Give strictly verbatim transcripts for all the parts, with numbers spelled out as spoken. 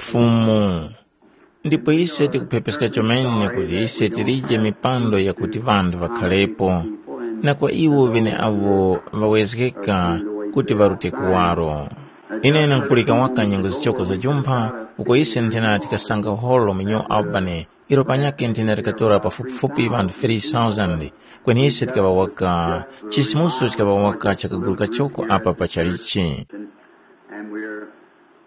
Fumu. Ndipo ise tikuphepeska chomene kuti ise tilije mipando yakuti ŵanthu ŵakhalepo, na kwa iwo ŵeneawo ŵawezgeka kuti ŵarute kuwaro. Ine ndangupulika waka nyengo zichoko za jumpha, uko ise nthena tikasanga holo mu New Albany, ilo panyakhe nthena likatora pafupifupi ŵanthu three thousand, kweni ise tikaŵa waka, chisimuso chikaŵa waka chakaguru kachoko apa pa chalichi.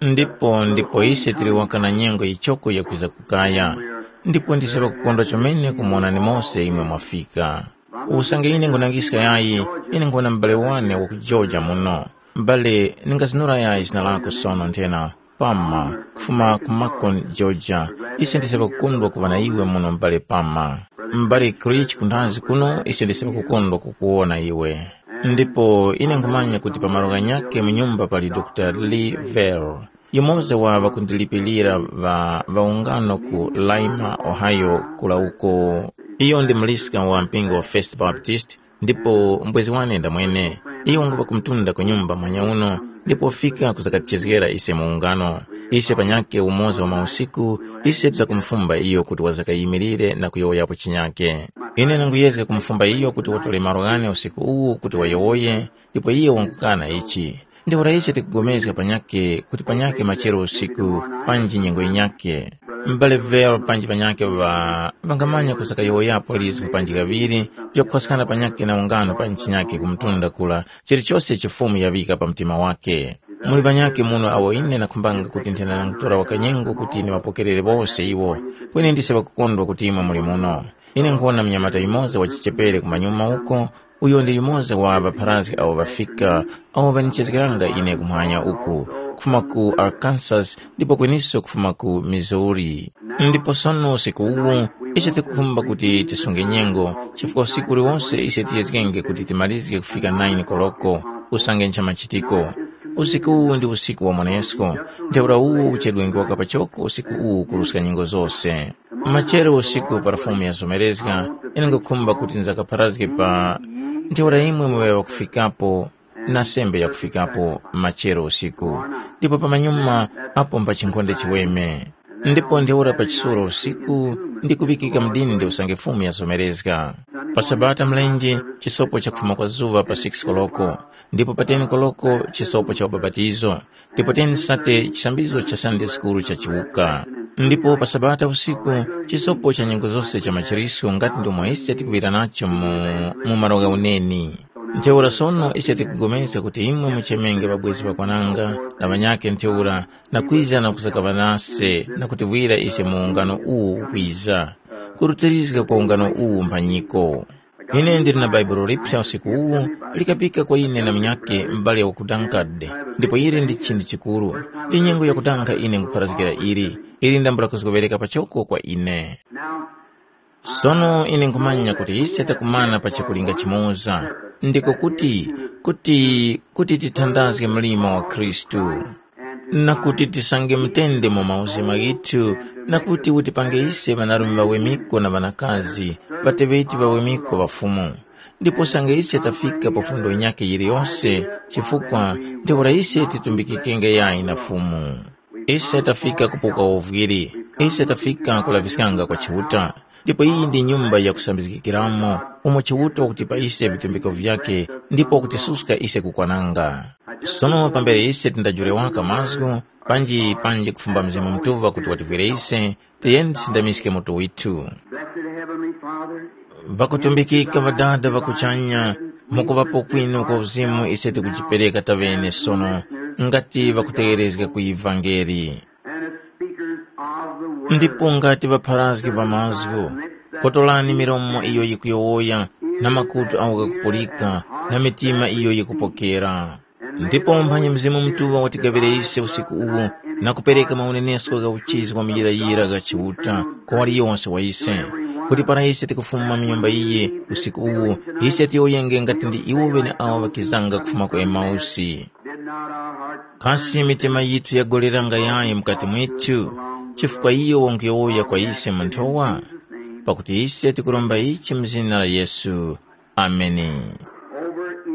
Ndipo ndipo ise tili waka na nyengo yichoko yakwiza kukaya, ndipo ndise ŵakukondwa chomene kumuwonani mose imwe mwafika. Usange ine nkhunangiska yayi, ine nkhwona m'bale wane wa ku Georgia muno. M'bale, ningazinura yayi zina lako sono nthena, Pama, kufuma ku Macon, Georgia. Ise ndise ŵakukondwa kuŵa na iwe muno m'bale Pama. M'bale Creech kunthazi kuno ise ndise ŵakukondwa kukuwona iwe. Ndipo ine nkhumanya kuti pa malo ghanyakhe mu nyumba pali Dr. Lee Vell, yumoza wa ŵakundilipilira ŵa ŵaungano ku Lima, Ohio, kula uko. Iyo ndi muliska wa mpingo wa First Baptist, ndipo mbwezi wane ndamwene. Iyo nguŵa kumtunda ku nyumba mwanya uno, ndipo wafika kuzakatichezgera ise mu ungano. Ise panyakhe umoza wa mausiku, ise tizakumufumba iyo kuti wazakayimirire na kuyowoyapo chinyakhe. Ine ndanguyezga kumufumba iyo kuti watore malo ghane usiku uwu kuti wayowoye, ndipo iye wangukana ichi. Ntheura ise tikupulikana panyakhe kuti panyakhe machero usiku panji nyengo yinyakhe. M'bale Vero panji panyakhe ŵa ŵangamanya kusakayowoyapo lizgu panji kaŵiri vyakukhwaskana panyakhe na ungano pa ntchinyakhe ku mtunda kura, chilichose icho Fumu yaŵika pa mtima wakhe. Muli ŵanyakhe muno awo ine ndakhumbanga kuti nthena ndangutora wakanyengo kuti ndiŵapokerere wose iwo, kweni ndise ŵakukondwa kuti imwe muli muno. Ine nkhuwona munyamata yumoza wachichepere kumanyuma uko, uyo ndi yumoza wa ŵapharazgi awo ŵafika, awo ŵanichezgeranga ine kumwanya uku, kufuma ku Arkansas ndipo kweniso kufuma ku Missouri. Ndipo sono usiku uwu, ise tikukhumba kuti tisunge nyengo, chifukwa usiku uliwose ise tiyezgenge kuti timalizge kufika nine koloko, usange ncha machitiko. Usiku uwu ndi usiku wa mwanesko, ntheura uwu uchedwenge waka pachoko usiku uwu kuruska nyengo zose. Machero usiku para Fumu yazomerezga, ine ngukhumba kuti nzakapharazge pa ntheura imwe muŵe ŵakufikapo na sembe yakufikapo machero usiku, ndipo pamanyuma apo mba chinkhonde chiweme. Ndipo ntheura pa chisuro usiku ndi kuŵikika mdindi usange Fumu yazomerezga. Pa Sabata mlenje, chisopo chakufuma kwa zuŵa pa six koloko, ndipo pa ten koloko chisopo cha ubapatizo, ndipo ten sate chisambizo cha Sunday School cha chiwuka. Ndipo pa Sabata usiku, chisopo cha nyengo zose cha machiriso ngati ndomwe ise tikuŵira nacho mu, mu malo gha uneni. Ntheura sono ise tikupulikana kuti imwe muchemenge ŵabwezi ŵakwananga na ŵanyakhe ntheura na kwiza na kusakaŵa nase na kutiŵira ise mu ungano uwu ukwiza, kurutirizga kwa ungano uwu mphanyiko. Ine ndili na Baibulo liphya usiku uwu, likapika kwa ine na munyakhe m'bale wa ku Dankard, ndipo ili ndi chinthu chikuru. Ndi nyengo yakudanga ine nkupharazgira ili, ili ndambula kuzgoŵereka pachoko kwa ine. Sono ine nkhumanya kuti ise takumana pa chakulinga chimoza, ndiko kuti, kuti, kuti tithandazge mlimo wa Khristu. Na kuti tisange mutende mu mauzima ghithu, na kuti utipange ise ŵanarume ŵawemiko na ŵanakazi, ŵateŵeti ŵawemiko ŵa Fumu. Ndipo usange ise tafika pa fundo yinyakhe yiliyose, chifukwa ntheura ise titumbikikenge yayi na Fumu. Ise tafika kupuka uvwiri, ise tafika kulaŵiskanga kwa Chiuta. Ndipo iyi ndi nyumba ya kusambizgikiramo, umo Chiuta wakutipa ise vitumbiko vyakhe ndipo wakutisuska ise kukwananga. Sono pambere ise tindajule waka mazgu, panji panji kufumba Mzimu Mutuŵa kuti wativwire ise, tiyeni tisindamiske mutu withu. Blessed Heavenly Father, ŵakutumbikika Ŵadada ŵa kuchanya, mukuŵapo kwinu kwa uzimu ise tikujipereka taŵene sono, ngati ŵakutegherezga ku ivangeli. And as speakers of the word, ndipo ngati ŵapharazgi ŵa mazgu, kotolani milomo iyo yikuyowoya, na makutu awo ghakupulika, na mitima iyo yikupokera. Ndipo umphanyi Mzimu Mutuŵa watigaŵire ise usiku uwu na kupereka maunenesko gha uchizi kwa muyirayira gha Chiuta kwa waliyonse wa ise, kuti para ise tikufuma mu nyumba iyi usiku uwu, ise tiyowoyenge ngati ndi iwo ŵeneawo ŵakizanga kufuma ku Emausi. Kasi mitima yithu yagoleranga yayi mukati mwithu, chifukwa iyo wanguyowoya kwa ise mu nthowa? Pakuti ise tikuromba ichi mu zina la Yesu. Ameni.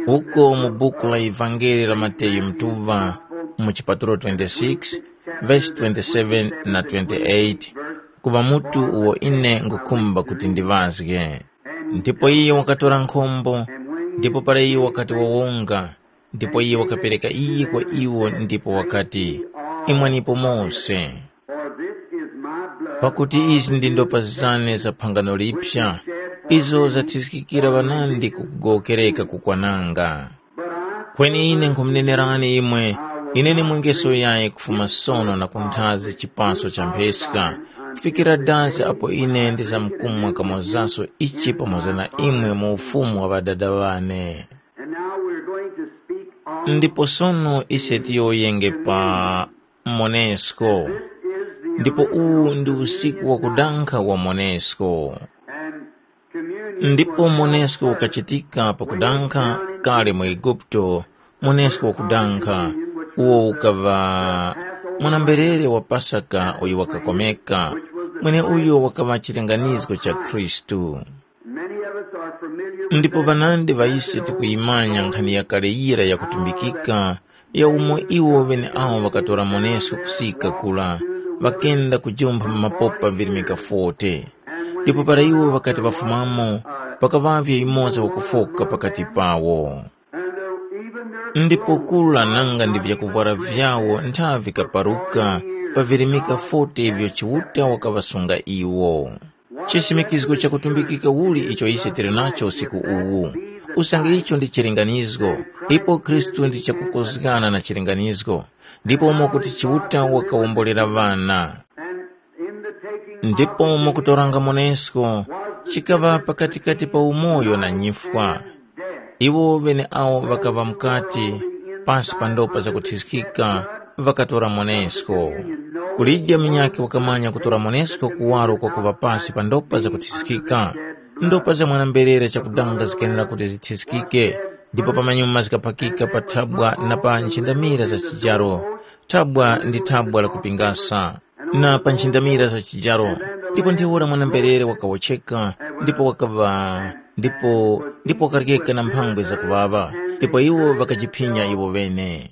Uko mu buku la Evangeli la Mateyu Mutuŵa, mu chipatulo twenty-six, vesi twenty-seven na twenty-eight, kuŵa mutu uwo ine nkhukhumba kuti ndiŵazge. Ndipo iyo wakatora nkhombo, ndipo para iyo wakati wawonga, ndipo iyo wakapereka iyi kwa iwo ndipo wakati, “Imwanipo mose, pakuti izi ndi ndopa zane za phangano liphya, izo zathiskikira ŵanandi ku kugowokereka kukwananga. Kweni ine nkhumunenerani imwe, ine ndimwengeso yayi kufuma sono na kunthazi chipaso cha mpheska, kufikira dazi apo ine ndizamkumwa kamozaso ichi pamoza na imwe mu ufumu wa Ŵadada ŵane.” Ndipo sono ise tiyowoyenge pa Monesko. Ndipo uwu ndi usiku wakudankha wa Monesko. Ndipo Monesko ukachitika pakudankha kale mu Eguputo, Monesko wakudankha, uwo ukaŵa mwana-mberere wa Pasaka uyo wakakomeka, mweneuyo wakaŵa chilinganizo cha Khristu. Ndipo ŵanandi ŵa ise tikuyimanya nkhani yakale yira yakutumbikika, ya umo iwo ŵeneawo ŵakatora Monesko kusika kura, ŵakenda kujumpha mu mapopa virimika forty. Ndipo para iwo ŵakati ŵafumamo, pakaŵavye yumoza wakufoka pakati pawo. Ndipo kura nanga ndi vyakuvwara vyawo ntha vikaparuka pa virimika forty ivyo Chiuta wakaŵasunga iwo. Chisimikizgo chakutumbikika uli icho ise tili nacho usiku uwu? Usange icho ndi chilinganizgo, ipo Khristu ndi chakukozgana na chilinganizgo, ndipo umo kuti Chiuta wakawombolera ŵana. Ndipo mukutoranga Monesko, chikaŵa pakatikati pa umoyo na nyifwa. Iwo ŵeneawo ŵakaŵa mukati, pasi pa ndopa zakuthiskika, ŵakatora Monesko. Kulije munyakhe wakamanya kutora Monesko kuwaro kwakuŵa pasi pa ndopa zakuthiskika. Ndopa za mwana-mberere chakudanga zikenera kuti zithiskike, ndipo pamanyuma zikaphakika pa thabwa na pa nchindamira za chijaro. Thabwa ndi thabwa la kupingasa, na pa nchindamira za chijaro. Ndipo ntheura mwana-mberere wakawotcheka, ndipo wakaŵa, ndipo ndipo wakaryeka na mphangwe zakuŵaŵa, ndipo iwo ŵakajiphinya iwo ŵene.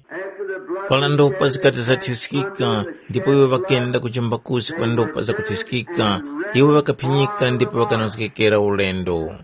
Para ndopa zikati zathiskika, ndipo iwo ŵakenda kujimba kusi kwa ndopa zakuthiskika, iwo ŵakaphinyika ndipo ŵakanozgekera ulendo.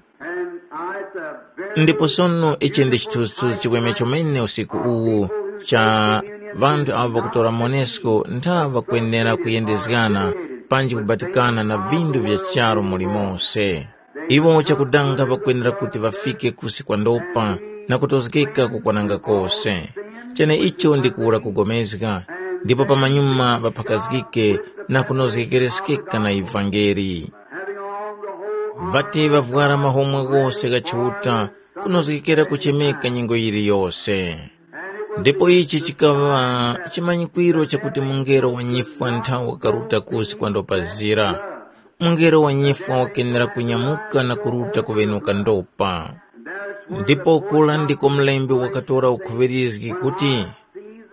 Ndipo sono ichi ndi chithunzithunzi chiweme chomene usiku uwu, cha ŵanthu avo ŵakutora Monesko ntha ŵakwenera kuyendezgana panji kubatikana na vindu vya charu mulimonse. Iwo chakudanga ŵakwenera kuti ŵafike kusi kwa ndopa na kutozgeka kukwananga kose. Cheneicho ndi kuwura kugomezga, ndipo pamanyuma ŵaphakazgike na kunozgekereskeka na ivangeli. Ŵati ŵavwara mahomwe ghose gha Chiuta, kunozgekera kuchemeka nyengo yiliyose. Ndipo ichi chikaŵa chimanyikwiro chakuti mungelo wa nyifwa nthawe wakaruta kusi kwa ndopa zira. Mungelo wa nyifwa wakenera kunyamuka na kuruta kuŵenuka ndopa. Ndipo kura ndiko mlembi wakatora ukhuŵirizgi kuti,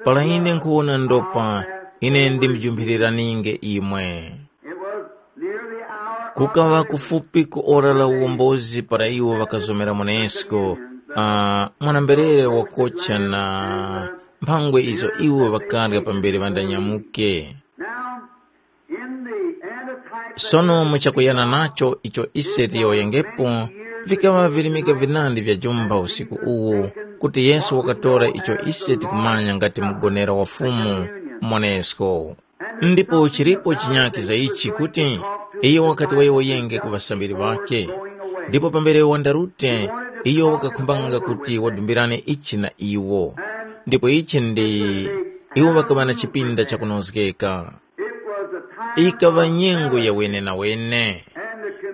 “Para ine nkhuwona ndopa, ine ndimujumphiriraninge imwe.” Kukaŵa kufupi ku ora la uwombozi para iwo ŵakazomera Monesko, uh, mwana-mberere wakocha na mphangwe izo iwo ŵakarya pambere ŵandanyamuke. Sono muchakuyana nacho icho ise tiyowoyengepo, vikaŵa virimika vinandi vya jumba usiku uwu, kuti Yesu wakatora icho ise tikumanya ngati mugonera wa Fumu, Monesko. Ndipo chilipo chinyakhe za ichi kuti iyo wakati wayowoyenge ku ŵasambiri ŵakhe. Ndipo pambere wandarute, iyo wakakhumbanga kuti wadumbirane ichi na iwo. Ndipo ichi ndi iwo ŵakaŵa na chipinda chakunozgeka. Ikaŵa nyengo ya wenenawene.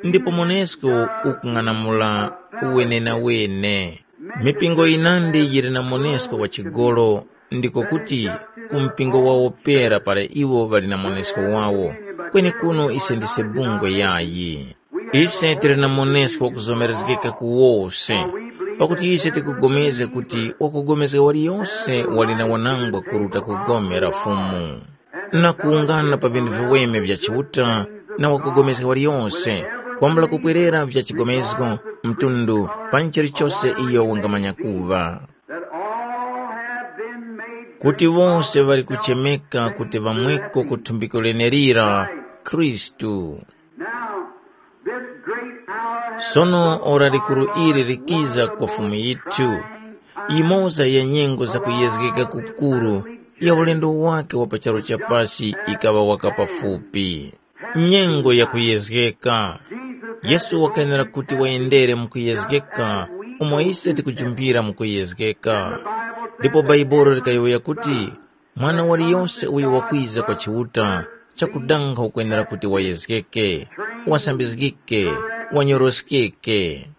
Ndipo Monesko ukung'anamula wenenawene. Mipingo yinandi yili na Monesko wa chigolo, ndiko kuti ku mpingo wawo pera para iwo ŵali na Monesko wawo, kwenekuno ise ndise bungwe yayi. Ise tili na Monesko wakuzomerezgeka ku wose, pakuti ise tikupulikana kuti wakupulikana waliyose wali na wanangwa kuruta ku gome la Fumu. Na kuwungana pa vinthu viweme vya Chiuta na wakupulikana waliyose, kwambula kupwerera vya chigomezgo, mtundu, panji chilichose iyo wangamanya kuŵa. That all have been made kuti wose ŵali kuchemeka kuti ŵamweko ku thumbiko lenelira, Khristu. Now, this great hour has Sono ora likuru ili likiza kwa Fumu yithu, yimoza ya nyengo za kuyezgeka kukuru ya ulendo wake wa pa charu cha pasi ikaŵa waka pafupi. Nyengo ya kuyezgeka. Yesu wakayenera kuti wayendere mu kuyezgeka umo ise tikujumpira mu kuyezgeka. Ndipo Bhaibuli likayowoya kuti, mwana waliyose uyo wakwiza kwa Chiuta chakudanga ukwenera kuti wayezgeke, wasambizgike, wanyoroskeke.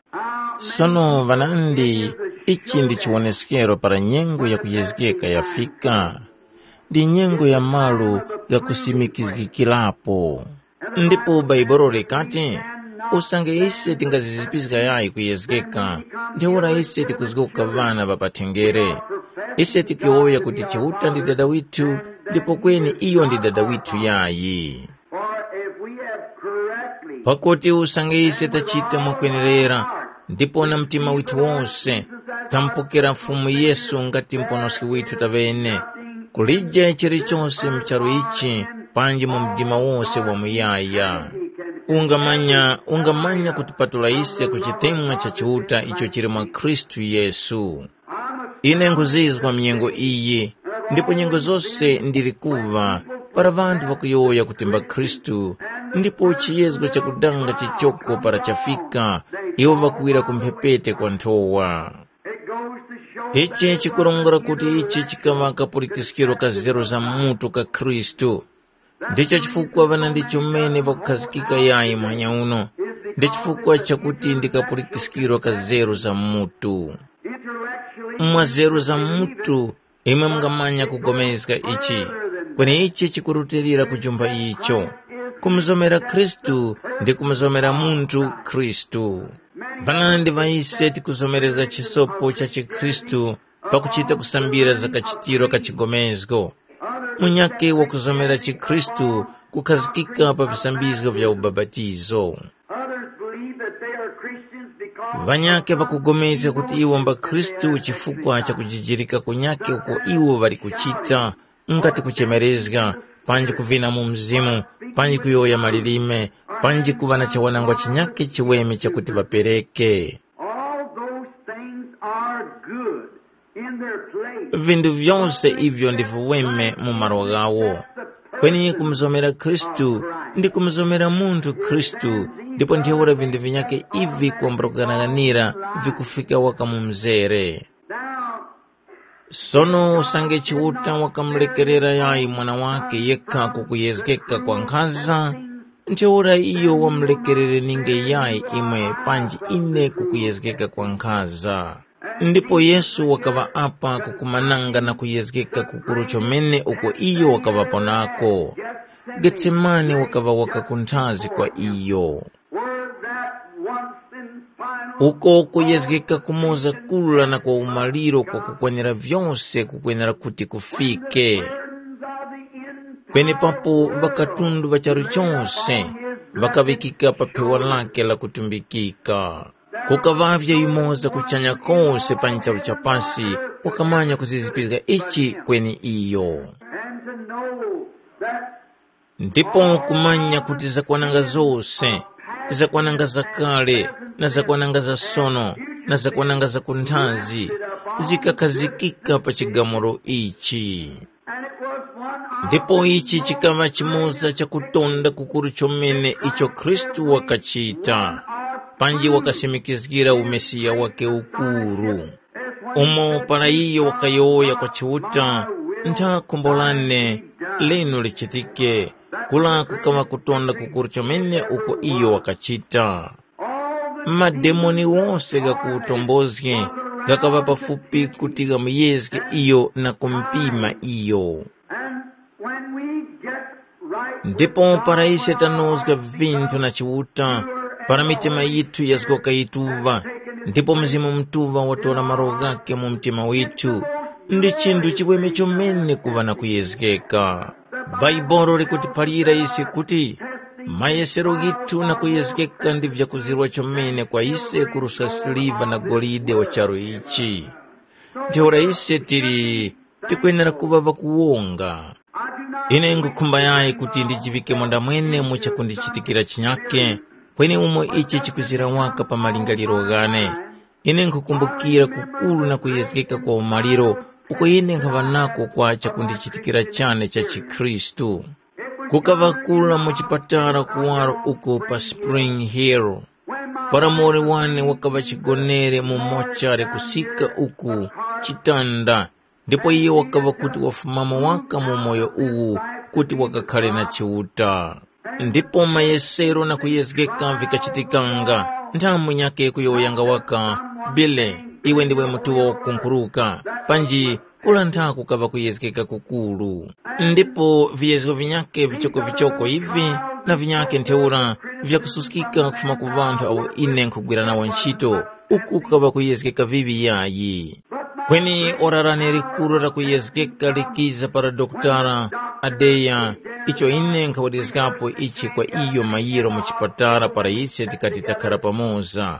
Sono ŵanandi, ichi ndi chiwoneskero para nyengo ya kuyezgeka yafika. Ndi nyengo ya malu ghakusimikizgikirapo. Ndipo Bhaibuli likati, usange ise tingazizipiska yayi kuyezgeka, ntheura ise tikuzgoka ŵana ŵa pathenjere. Ise tikuyowoya kuti Chiuta ndi Dada withu, ndipo kweni iyo ndi Dada withu yayi. For if we have correctly Pakuti usange ise tachita mwakwenerera, ndipo na mtima withu wose, tamupokera Fumu Yesu ngati Muponoski withu taŵene, kulije chilichose mu charu ichi, panji mu mdima wose wamuyaya. Ungamanya, ungamanya kutipatula ise ku chitemwa cha Chiuta icho chili mwa Khristu Yesu. Ine nkhuzizwa mnyengo iyi, ndipo nyengo zose ndili kuŵa para ŵanthu ŵakuyowoya kuti mba Khristu, ndipo chiyezgo chakudanga chichoko para chafika, iwo ŵakuwira ku mphepete kwa nthowa. Ichi chikurongora kuti ichi chikaŵa kapulikiskiro ka zeru za mutu ka Khristu. Ndicho chifukwa ŵana ndi chomene ŵakukhazikika yayi muhanya uno, ndi chifukwa chakuti ndi kapulikiskiro ka zeru za mutu. Mwa zeru za mutu, imwe mungamanya kugomezga ichi, kweni ichi chikurutilira kujumpha icho. Kumuzomera Khristu ndi kumuzomera munthu Khristu. Ŵanandi ŵa ise tikuzomerezga chisopo cha chikhristu pakuchita kusambira za kachitiro ka chigomezgo. Munyakhe wakuzomera chikhristu kukhazikika pa visambizgo vya ubapatizo. Others believe that they are Christians because Ŵanyakhe ŵakupulikana kuti iwo mba Khristu chifukwa cha kujijirika kunyakhe uko iwo ŵali kuchita, ngati kuchemerezga, panji kuvina mu mzimu, panji kuyowoya malilime, panji kuŵa na chawanangwa chinyakhe chiweme chakuti ŵapereke. All those things are good in their place. Vinthu vyose ivyo ndi viweme mu malo ghawo. Kweni kumuzomera Khristu ndi kumuzomera munthu Khristu, ndipo ntheura vinthu vinyakhe ivi kwambula kughanaghanira vikufika waka mu mzere. Now, Sono usange Chiuta wakamulekerera yayi mwana wakhe yekha kukuyezgeka kwa nkhaza, ntheura iyo wamulekerere ninge yayi imwe panji ine kukuyezgeka kwa nkhaza. Ndipo Yesu wakaŵa apa kukumananga na kuyezgeka kukuru chomene uko iyo wakaŵapo nako. Getsemane wakaŵa waka kunthazi kwa iyo. Where that once and final uko kuyezgeka kumoza kula na kwa umaliro kwa kukwanira vyose kukwenera kuti kufike. Burdens of the end Penepapo ŵakatundu ŵa charu chose ŵakaŵikika pa phewa lake la kutumbikika. Kukaŵavye yumoza kuchanya kose pa ncharu cha pasi wakamanya kuzizipizga ichi kweni iyo. And to know that Ndipo kumanya kuti zakwananga zose, zakwananga zakale, na zakwananga za sono, na zakwananga za kunthazi, zikakhazikika pa chigamulo ichi. Ndipo ichi chikaŵa chimoza cha kutonda kukuru chomene icho Khristu wakachita, panji wakasimikizgira umesiya wake ukuru. Umo para iyo wakayowoya kwa Chiuta, ntha khumbo lane linu lichitike, kula kukaŵa kutonda kukuru chomene uko iyo wakachita. Mademoni wose ghakutombozge ghakaŵa pafupi kuti ghamuyezge iyo na kumupima iyo. And when we get right Ndipo para ise tanozga vinthu na Chiuta, para mitima yithu yazgoka yituŵa, ndipo Mzimu Mutuŵa watora malo ghakhe mu mtima withu, ndi chinthu chiweme chomene kuŵa na kuyezgeka. Bhaibuli likutiphalira ise kuti, mayesero ghithu na kuyezgeka ndi vyakuzirwa chomene kwa ise kuruska siliva na golide wa charu ichi. Ntheura ise tili tikwenera kuŵa ŵakuwonga. Ine nkhukhumba yayi kuti ndijiŵike mundamwene mu chakundichitikira chinyake, kweni umo ichi chikuzira waka pa malingaliro ghane. Ine nkhukumbukira kukuru na kuyezgeka kwa umaliro uko ine nkhaŵa nako kwa chakundichitikira chane cha chikhristu. Kukaŵa kura mu chipatala kuwaro uko pa Spring Hill, para muwoli wane wakaŵa chigonere mu mochare kusika uku chitanda, ndipo iye wakaŵa kuti wafumamo waka mu umoyo uwu kuti wakakhare na Chiuta. Ndipo mayesero na kuyezgeka vikachitikanga, nthamu nyakhe kuyowoyanga waka, Bile, iwe ndiwe mutuŵa wakukunkhuruka, panji kula ntha kukaŵa kuyezgeka kukuru. Ndipo viyezgo vinyakhe vichokovichoko ivi na vinyakhe ntheura vyakususkika kufuma ku ŵanthu awo ine nkhugwira nawo ntchito, uku kukaŵa kuyezgeka vivi yayi. Kweni ora lane likuru la kuyezgeka likiza para dokotala Adeya, icho ine nkhawerezgapo ichi kwa iyo mayiro mu chipatala para ise tikati takhara pamoza.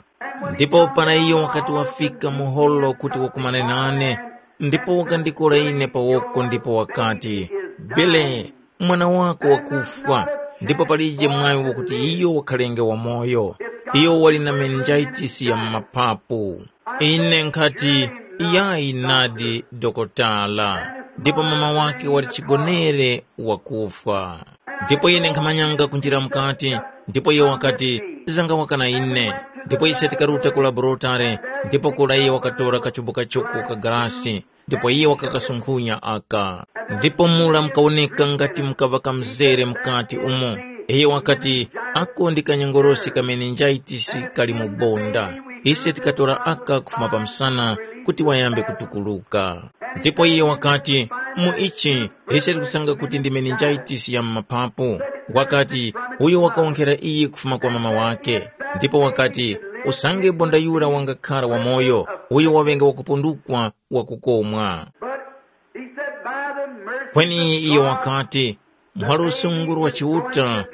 Ndipo para iyo wakati wafika mu holo kuti wakumane nane, ndipo wakandikora ine pa woko ndipo wakati, Bele, mwana wako wakufwa, ndipo palije mwaŵi wakuti iyo wakhalenge wamoyo. Iyo wali na meninjaitisi ya mu mapapu. Ine nkhati, yayi nadi dokotala, ndipo mama wake wali chigonere wakufwa. Ndipo ine nkhamanyanga kunjira mukati, ndipo iyo wakati, zanga waka na ine. Ndipo ise tikaruta ku laborotare, ndipo kura iye wakatora kachubu kachoko ka galasi, ndipo iye wakakasunkhunya aka. Ndipo mura mukawoneka ngati mukaŵa kamzere mukati umo. Iye wakati, ako ndi kanyongorosi ka meninjaitisi kali mu bonda. Ise tikatora aka kufuma pa msana kuti wayambe kutukuluka. Ndipo iye wakati, mu ichi ise tikusanga kuti ndi meninjaitisi ya m'mapapu. Wakati, uyo wakawonkhera iyi kufuma kwa mama wake. Ndipo wakati, usange bonda yura wangakhara wamoyo, uyo waŵenge wakupundukwa wakukomwa. He said, by the mercy kweni iye wakati, mwa lusungu lwa Chiuta,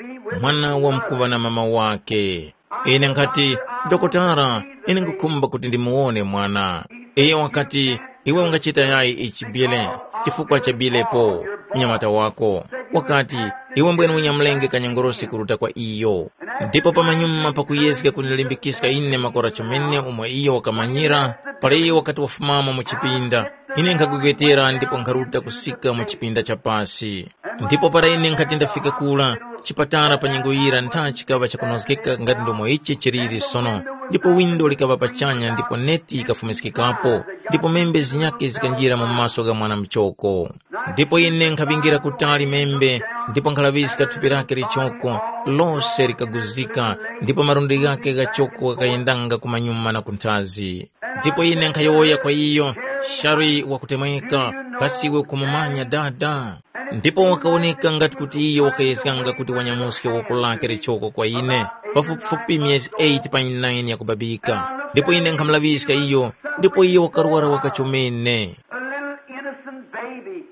mwana wamkuŵa na mama wake. Ine nkhati, dokotala, ine ngukhumba kuti ndimuwone mwana. Iye wakati, iwe ungachita yayi ichi bile, chifukwa cha bilepo, mnyamata wako. Wakati, iwe mbwene unyamulenge kanyongorosi kuruta kwa iyo. Ndipo pamanyuma pakuyezga kundilimbikiska ine makora chomene umo iyo wakamanyira, para iyo wakati wafumamo mu chipinda, ine nkhagwegwetera ndipo nkharuta kusika mu chipinda cha pasi. Ndipo para ine nkhati ndafika kura, chipatala pa nyengo yira ntha chikaŵa chakunozgeka ngati ndomo ichi chiliri sono, ndipo windo likaŵa pachanya ndipo neti yikafumiskikapo, ndipo membe zinyakhe zikanjira mu maso gha mwana muchoko. Ndipo ine nkhaŵingira kutali membe, ndipo nkhalaŵiska thupi lake lichoko, lose likaguzika, ndipo malundi ghake ghachoko ghakayendanga kumanyuma na kunthazi. Ndipo ine nkhayowoya kwa iyo, shari wakutemweka, kasi iwe ukumumanya dada? Ndipo wakawoneka ngati kuti iyo wakayezganga kuti wanyamuske woko lake lichoko kwa ine, pafupifupi myezi eight pa nine yakubabika. Ndipo ine nkhamulaŵiska iyo, ndipo iyo wakarwara waka chomene. A little innocent baby.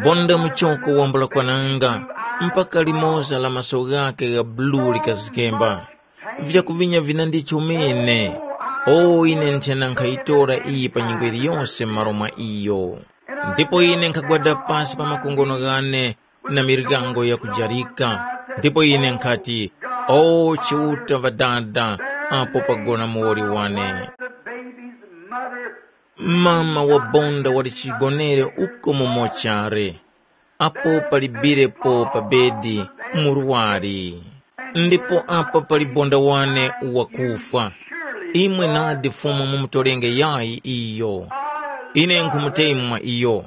Bonda muchoko wambula kwananga, mpaka limoza la maso ghake gha bulu likazikemba. Vyakuvinya vinandi chomene. O ine nthena nkhayitora iyi pa nyengo yiliyonse m'malo mwa iyo. Ndipo ine nkhagwada pasi pa makongono ghane na miryango yakujarika. Ndipo ine nkhati, o Chiuta Ŵadada, apo pagona muwoli wane. The baby's mother. Mama wa bonda wali chigonere uko mu mochare, apo palibirepo pa bedi murwari. Ndipo apa pali bonda wane wakufwa. Imwe nadi Fumu mumutolenge yayi iyo. Ine nkhumutemwa iyo.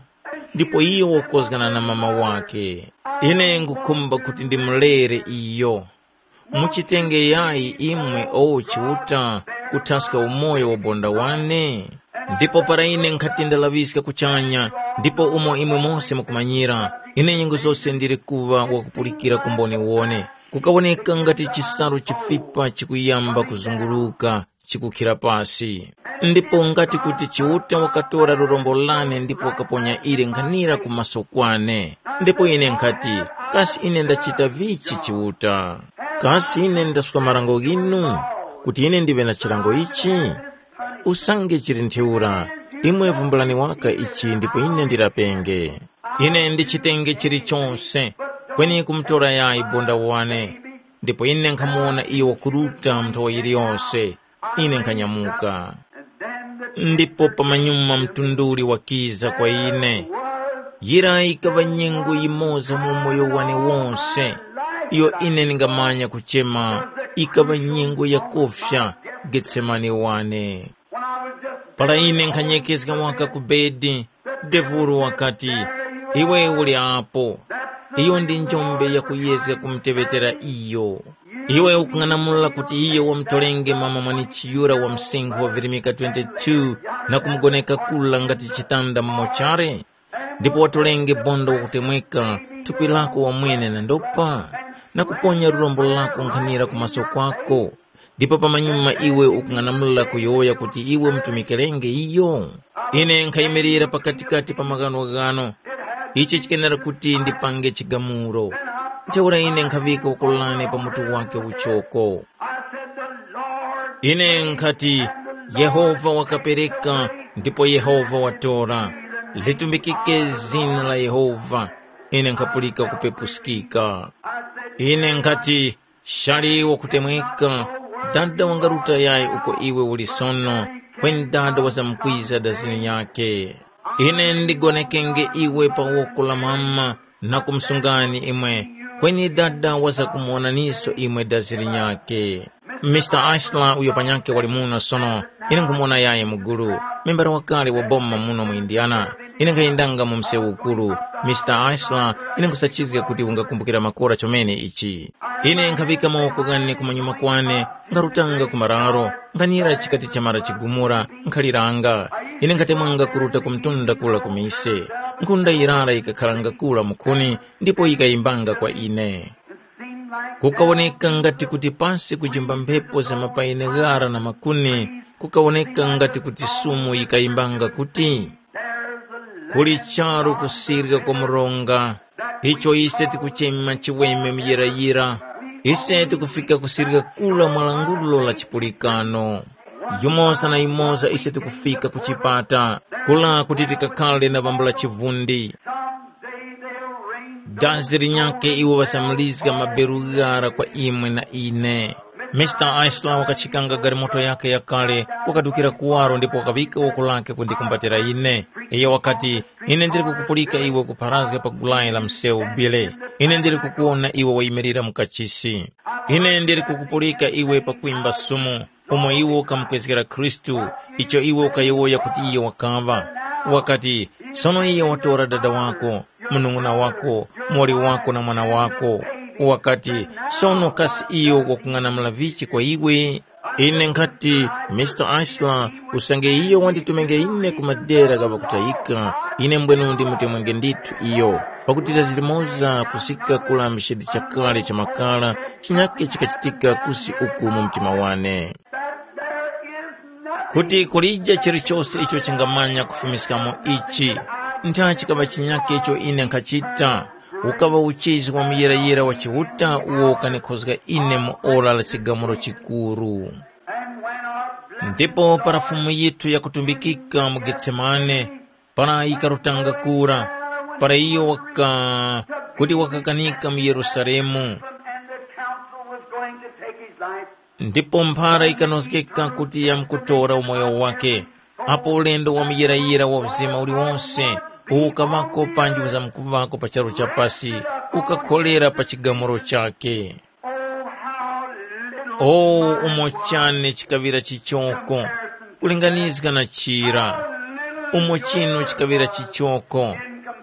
Ndipo iyo wakozgana na mama wake. Ine ngukhumba kuti ndimulere iyo. Muchitenge yayi imwe o Chiuta kuthaska umoyo wa bonda wane? Ndipo para ine nkhati ndalaŵiska kuchanya, ndipo umo imwe mose mukumanyira, ine nyengo zose ndili kuŵa wakupulikira ku mboniwone, kukawoneka ngati chisalu chifipa chikuyamba kuzunguruka chikukhira pasi. Ndipo ngati kuti Chiuta wakatora lurombo lane ndipo wakaponya ili nkhanira ku maso kwane. Ndipo ine nkhati, kasi ine ndachita vichi Chiuta? Kasi ine ndaswa marango ghinu, kuti ine ndiŵe na chilango ichi? Usange chili ntheura, Imwe vumbulani waka ichi ndipo ine ndirapenge. Ine ndichitenge chilichonse, kweni kumutora yayi bonda wane, ndipo ine nkhamuwona iyo wakuruta mu nthowa yiliyose. Ine nkhanyamuka. Ndipo pamanyuma mtunduli wakiza kwa ine. Yira yikaŵa nyengo yimoza mu umoyo wane wose, iyo ine ndingamanya kuchema, yikaŵa nyengo yakufya Getsemane wane. Para ine nkhanyekezga waka ku bedi, Devuro wakati, “Iwe uli apo. Iyo ndi njombe yakuyezga kumuteŵetera iyo. Iwe ukung'anamula kuti iyo wamutorenge mama mwanichi yura wa msinkhu wa virimika twenty-two na kumugoneka kula ngati chitanda mu mochare? Ndipo watorenge bondo wakutemweka thupi lako wamwene na ndopa, na kuponya lurombo lako nkhanira ku maso kwako, ndipo pamanyuma iwe ukung'anamula kuyowoya kuti iwe umutumikirenge iyo? Ine nkhayimirira pakatikati pa maghanoghano. Ichi chikenera kuti ndipange chigamulo. Ntheura ine nkhaŵika ukulane pa mutu wake uchoko. Ine nkhati, Yehova wakapereka, ndipo Yehova watora. Litumbikike zina la Yehova. Ine nkhapulika kupepuskika. Ine nkhati, shali wakutemweka, dada wangaruta yayi uko iwe uli sono, kweni dada wazamkwiza dazini nyakhe. Ine ndigonekenge iwe pa woko la mama na kumsungani imwe, kweni dada wazakumuwonaniso imwe dazini nyakhe. Mister Asla uyo panyakhe wali muno sono, ine nkhumuwona yayi mugulu, membara wakale wa boma muno mu Indiana. Ine nkhayendanga mu msewu ukuru. Mister Asla, ine nkhusachizga kuti ungakumbukira makora chomene ichi. Ine nkhaŵika mawoko ghane kumanyuma kwane, nkharutanga ku mararo, nkhanira chikati chamara chigumura, nkhaliranga. Ine nkhatemwanga kuruta ku mtunda kura ku mise. Nkhunda yirara yikakharanga kura mukhuni, ndipo yikayimbanga kwa ine. Kukawoneka ngati kuti pasi kujimba mphepo za mapayini ghara na makuni, kukawoneka ngati kuti sumu yikayimbanga kuti, “Kuli charu kusirika kwa mronga, icho ise tikuchema chiweme muyirayira. Ise tikufika kusirika kula mwa langulo la chipulikano. Yumoza na yumoza ise tikufika ku chipata, kula kuti tikakhale na vambula chivundi. Dazi linyakhe iwo ŵasamulizga maberu ghara kwa imwe na ine.” Mister Aisla wakachikanga galimoto yakhe yakale, wakadukira kuwaro ndipo wakaŵika woko lakhe kundikumbatira ine. Iyo wakati, “Ine ndili kukupulika iwe kupharazga pa gulayi la msewu Bile. Ine ndili kukuwona iwe wayimirira mu kachisi. Ine ndili kukupulika iwe pakwimba sumu, umo iwe ukamukwezgera Khristu, icho iwe ukayowoya kuti iyo wakaŵa. Wakati, ‘Sono iyo watora dada wako, munung'una wako, muwoli wako na mwana wako.’ Wakati, ‘Sono kasi iyo wakung'anamula vichi kwa iwe?’ Ine nkhati, Mister Aisla, usange iyo wanditumenge ine ku madera gha ŵakutayika, ine mbwenu ndimutemwenge ndithu iyo, pakuti dazi limoza kusika kula mchindi chakale cha makara, chinyakhe chikachitika kusi uku mu mtima wane. Kuti kulije chilichose icho chingamanya kufumiskamo ichi, ntha chikaŵa chinyakhe icho ine nkhachita, ukaŵa uchizi wa muyirayira wa Chiuta uwo ukanikhozga ine mu ora la chigamulo chikuru. Ndipo para Fumu yithu yakutumbikika mu Getsemane, para yikarutanga kura, para iyo waka kuti wakakanika mu Yerusalemu, and the council was going to take his life. Ndipo mphara ikanozgeka kuti yamkutora umoyo wake, apo ulendo wa muyirayira wa uzima uliwonse ukaŵako panji uzamkuŵako pa charu cha pasi, ukakholera pa chigamulo chake. Oh, how little O, umo chane chikaŵira chichoko kulinganizga na chira! Umo chinu chikaŵira chichoko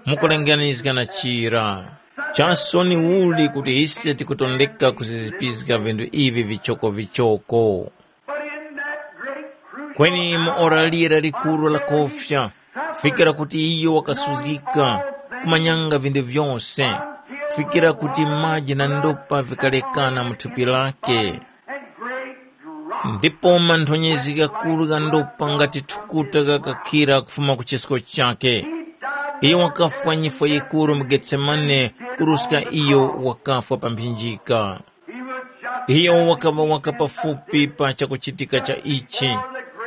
mukulinganizga na chira! Chasoni uli kuti ise tikutondeka kuzizipizga vinthu ivi vichokovichoko! But in that great crucial Kweni mu ora lira likuru la kofya, fikira kuti iyo wakasuzgika, kumanyanga vinthu vyose, fikira kuti maji na ndopa vikalekana mu thupi lake. And great drop Ndipo manthonyezi ghakuru gha ndopa ngati thukuta ghakakhira kufuma ku chisko chake. Iyo wakafwa nyifwa yikuru mu Getsemane, kuruska iyo wakafwa pa mphinjika. Iyo wakaŵa waka pafupi pa chakuchitika cha ichi.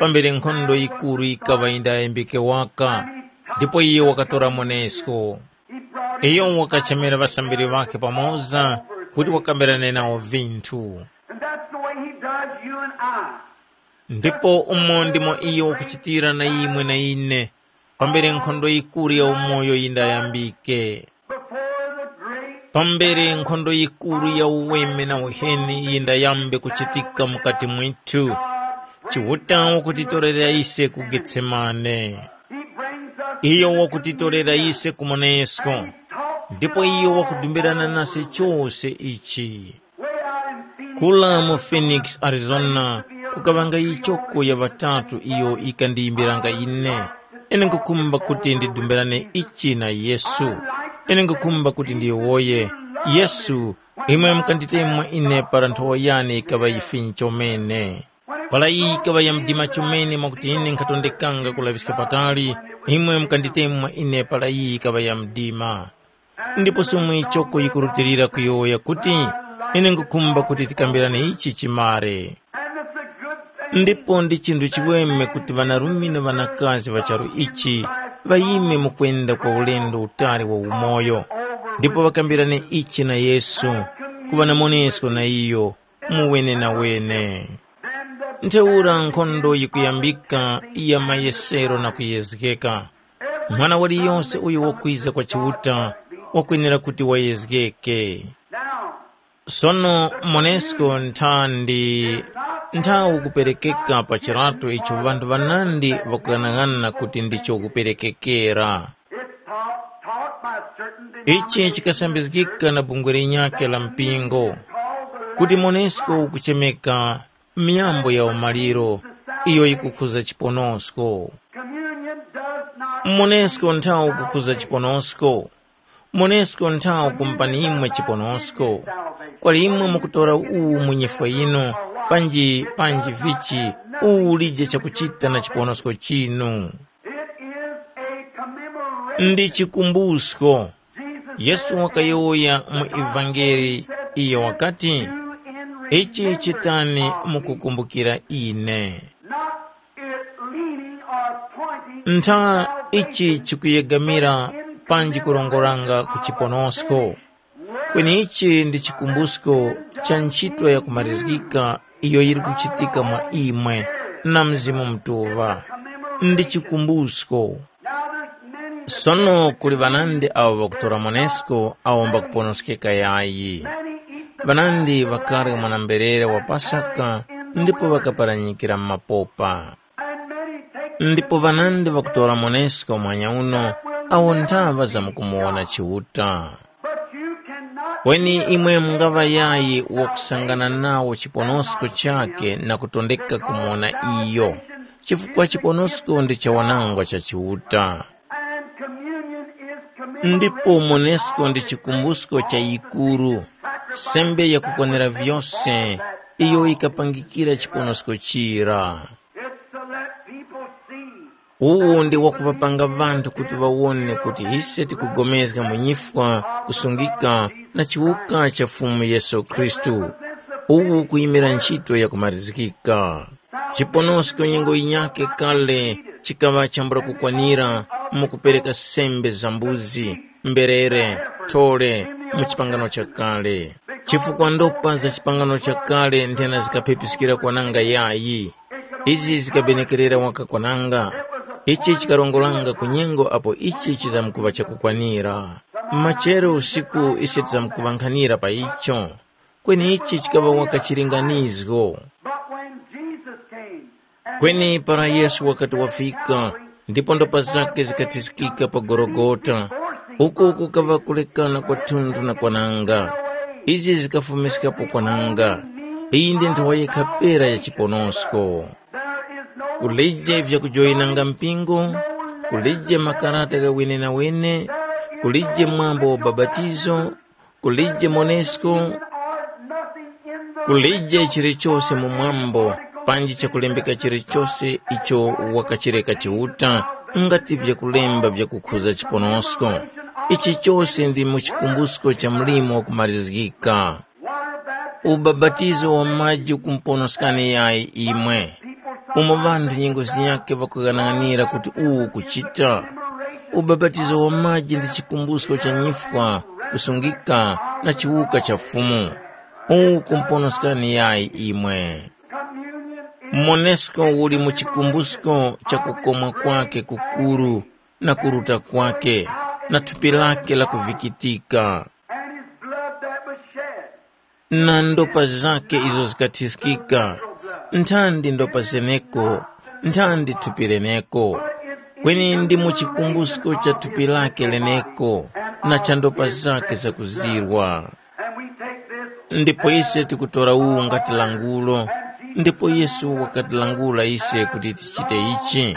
pambere nkhondo yikuru yikaŵa yindayambike waka, ndipo iyo wakatora Monesko. Iyo wakachemera ŵasambiri ŵakhe pamoza kuti wakambirane nawo vinthu. And that's the way he does you and I. Ndipo umo ndimo iyo wakuchitira na imwe na ine, pambere nkhondo yikuru ya umoyo yindayambike. Before the great pambere nkhondo yikuru ya uweme na uheni yindayambe kuchitika mukati mwithu, Chiuta wakutitorera ise ku Getsemane. He brings us iyo wakutitorera ise ku Monesko. Ndipo iyo wakudumbirana nase chose ichi. Kula mu Phoenix, Arizona, kukaŵanga ichoko ya ŵatatu iyo ikandiyimbiranga ine. Ine nkukhumba kuti ndidumbirane ichi na Yesu. Ine nkukhumba kuti ndiyowoye, Yesu, imwe mukanditemwa ine para nthowa yane ikaŵa yifinyi chomene. Para iyi ikaŵa ya mdima chomene mwakuti ine nkhatondekanga kulaŵiska patali, imwe mukanditemwa ine para iyi ikaŵa ya mdima. Ndipo somwe ichoko yikurutilira kuyowoya kuti, ine nkukhumba kuti tikambirane ichi chimare. Ndipo ndi chinthu chiweme kuti ŵanarume na ŵanakazi ŵa charu ichi ŵayime mu kwenda kwa ulendo utali wa umoyo, ndipo ŵakambirane ichi na Yesu, kuŵa na monesko na iyo mu wenenawene. Ntheura nkhondo yikuyambika ya mayesero na kuyezgeka. Mwana waliyonse uyo wakwiza kwa Chiuta wakwenera kuti wayezgeke. Sono Monesko ntha ndi nthawi kuperekeka pa chirato icho ŵanthu ŵanandi ŵakughanaghanana kuti ndicho kuperekekera. Ichi chikasambizgika na bungwe linyakhe la mpingo, kuti Monesko ukuchemeka myambo ya umaliro iyo yikukhuza chiponosko. Monesko nthawi ukukhuza chiponosko. Monesko nthawi kumpani imwe chiponosko. Kwali imwe mukutora uwu mu nyifwa yinu, panji panji vichi, uwu ulije chakuchita na chiponosko chinu. It is a commemoration. Ndi chikumbusko. Jesus yesu said wakayowoya mu evangeli, iyo wakati, ichi chitani mukukumbukira ine. Not it leaning or pointing ntha to ichi salvation chikuyegamira in panji commemoration kurongoranga ku of chiponosko. Kweni ichi ndi chikumbusko cha ntchito yakumarizgika iyo yili kuchitika mwa imwe na Mzimu Mutuŵa. Ndi chikumbusko. Sono kuli ŵanandi awo ŵakutora monesko awo mbakuponoskeka yayi. Ŵanandi ŵakarya mwana-mberere wa Pasaka ndipo ŵakaparanyikira mu mapopa. Ndipo ŵanandi ŵakutora monesko mwanya uno awo nthaŵa zamkumuwona Chiuta. Kweni imwe mungaŵa yayi wakusangana nawo chiponosko chakhe na kutondeka kumuwona iyo, chifukwa chiponosko ndi chawanangwa cha Chiuta. Ndipo monesko ndi chikumbusko cha yikuru, sembe yakukwanira vyose iyo yikapangikira chiponosko chira. It's to let people see. Uwu ndi wakuŵapanga ŵanthu kuti ŵawone kuti ise tikugomezga mu nyifwa, kusungika na chiwuka cha Fumu Yesu Khristu. Uwu kuyimira ntchito yakumarizgika. Chiponosko nyengo yinyakhe kale chikaŵa chambula kukwanira mu kupereka sembe za mbuzi, mberere, thole mu chipangano chakale. Chifukwa ndopa za chipangano chakale nthena zikaphepiskira kwananga yayi. Izi zikabenekerera waka kwananga. Ichi chikarongoranga ku nyengo apo ichi chizamkuŵa chakukwanira. Machero usiku ise tizamkuŵankhanira pa icho. Kweni ichi chikaŵa waka chilinganizgo. But when Jesus came, kweni para Yesu wakati wafika, ndipo ndopa zakhe zikathiskika pa Gologota, uko kukaŵa kulekana kwathunthu na kwananga. Izi zikafumiskapo kwananga. Iyi ndi nthowa yekha pera ya chiponosko. Kulije vyakujoyinanga mpingo, kulije makarata gha wenenawene, kulije mwambo wa babatizo, kulije monesko, kulije chilichose mu mwambo, panji chakulembeka chilichose icho wakachireka Chiuta, ngati vyakulemba vyakukhuza chiponosko. Ichi chose ndi mu chikumbusko cha mlimo wakumarizgika. Ubabatizo wa maji ukumponoskani yayi imwe. umo ŵanthu nyengo zinyakhe ŵakughanaghanira kuti uwu ukuchita. Ubapatizo wa maji ndi chikumbusko cha nyifwa, kusungika na chiwuka cha Fumu. Uwu kumponoskani yayi imwe. Monesko uli mu chikumbusko cha kukomwa kwake kukuru na kuruta kwake na thupi lake la kuvikitika. And his blood that was shed. Na ndopa zake izo zikathiskika, nthandi ndopa zeneko, nthandi thupi leneko, kweni ndi mu chikumbusko cha thupi lake leneko na cha ndopa zake zakuzirwa. And we take this. Ndipo ise tikutora uwu ngati langulo, ndipo Yesu wakatilangula ise kuti tichite ichi.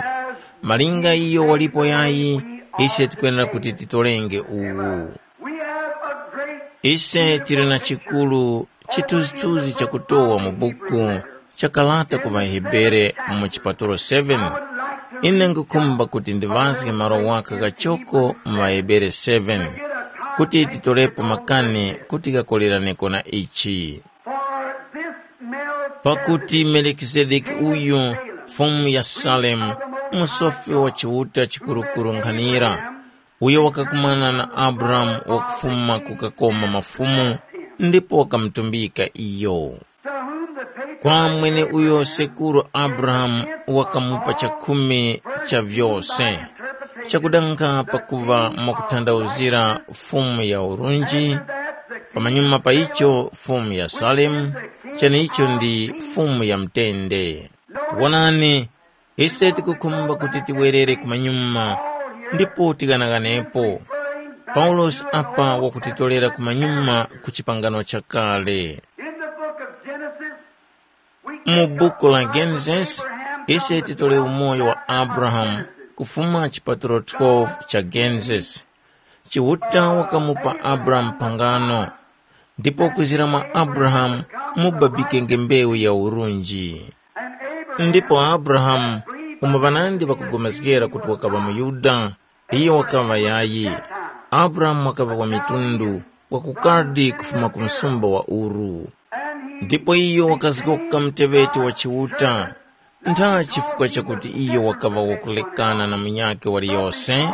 Malinga iyo walipo yayi, ise tikwenera kuti titorenge uwu. We have a great. Ise tili na chikulu chithunzithunzi chakutowa mu buku cha kalata ku ŵaHebere mu chipatulo seven. Ine ngukhumba kuti ndiŵazge malo waka kachoko mu ŵaHebere seven, kuti titolepo makani kuti ghakoleraneko na ichi. For this Melchizedek. Pakuti Melikizedeki uyu, fumu ya Salemu, musofi wa Chiuta chikurukuru nkhanira, uyo wakakumana na Abrahamu wakufuma kukakoma mafumu, ndipo wakamutumbika iyo. To whom the patriarch. Kwa mweneuyo sekuru Abrahamu wakamupa chakhumi cha vyose, chakudanga pakuva mwakuthandauzira Fumu ya urunji, pamanyuma pa icho Fumu ya Salemu, cheneicho ndi Fumu ya mutende. Wonani, ise tikukhumba kuti tiwerere kumanyuma ndipo tighanaghanapo. Paulosi apa wakutitolera kumanyuma ku chipangano chakale. In the book of Genesis, we Mu buku la Genesis, ise titole umoyo wa Abrahamu kufuma chipatulo twelve cha Genesis. Chiuta wakamupa Abrahamu phangano, ndipo kwizira mwa Abrahamu mubabikenge mbewu ya urunji. Ndipo Abrahamu, umo ŵanandi ŵakugomezgera kuti wakaŵa muYuda, iyo wakaŵa yayi. Abrahamu wakaŵa wa mitundu, wa ku Kaldi kufuma ku msumba wa Uru. Ndipo iyo wakazgoka muteŵeti wa Chiuta. Ntha chifukwa chakuti iyo wakaŵa wakulekana na munyakhe waliyose,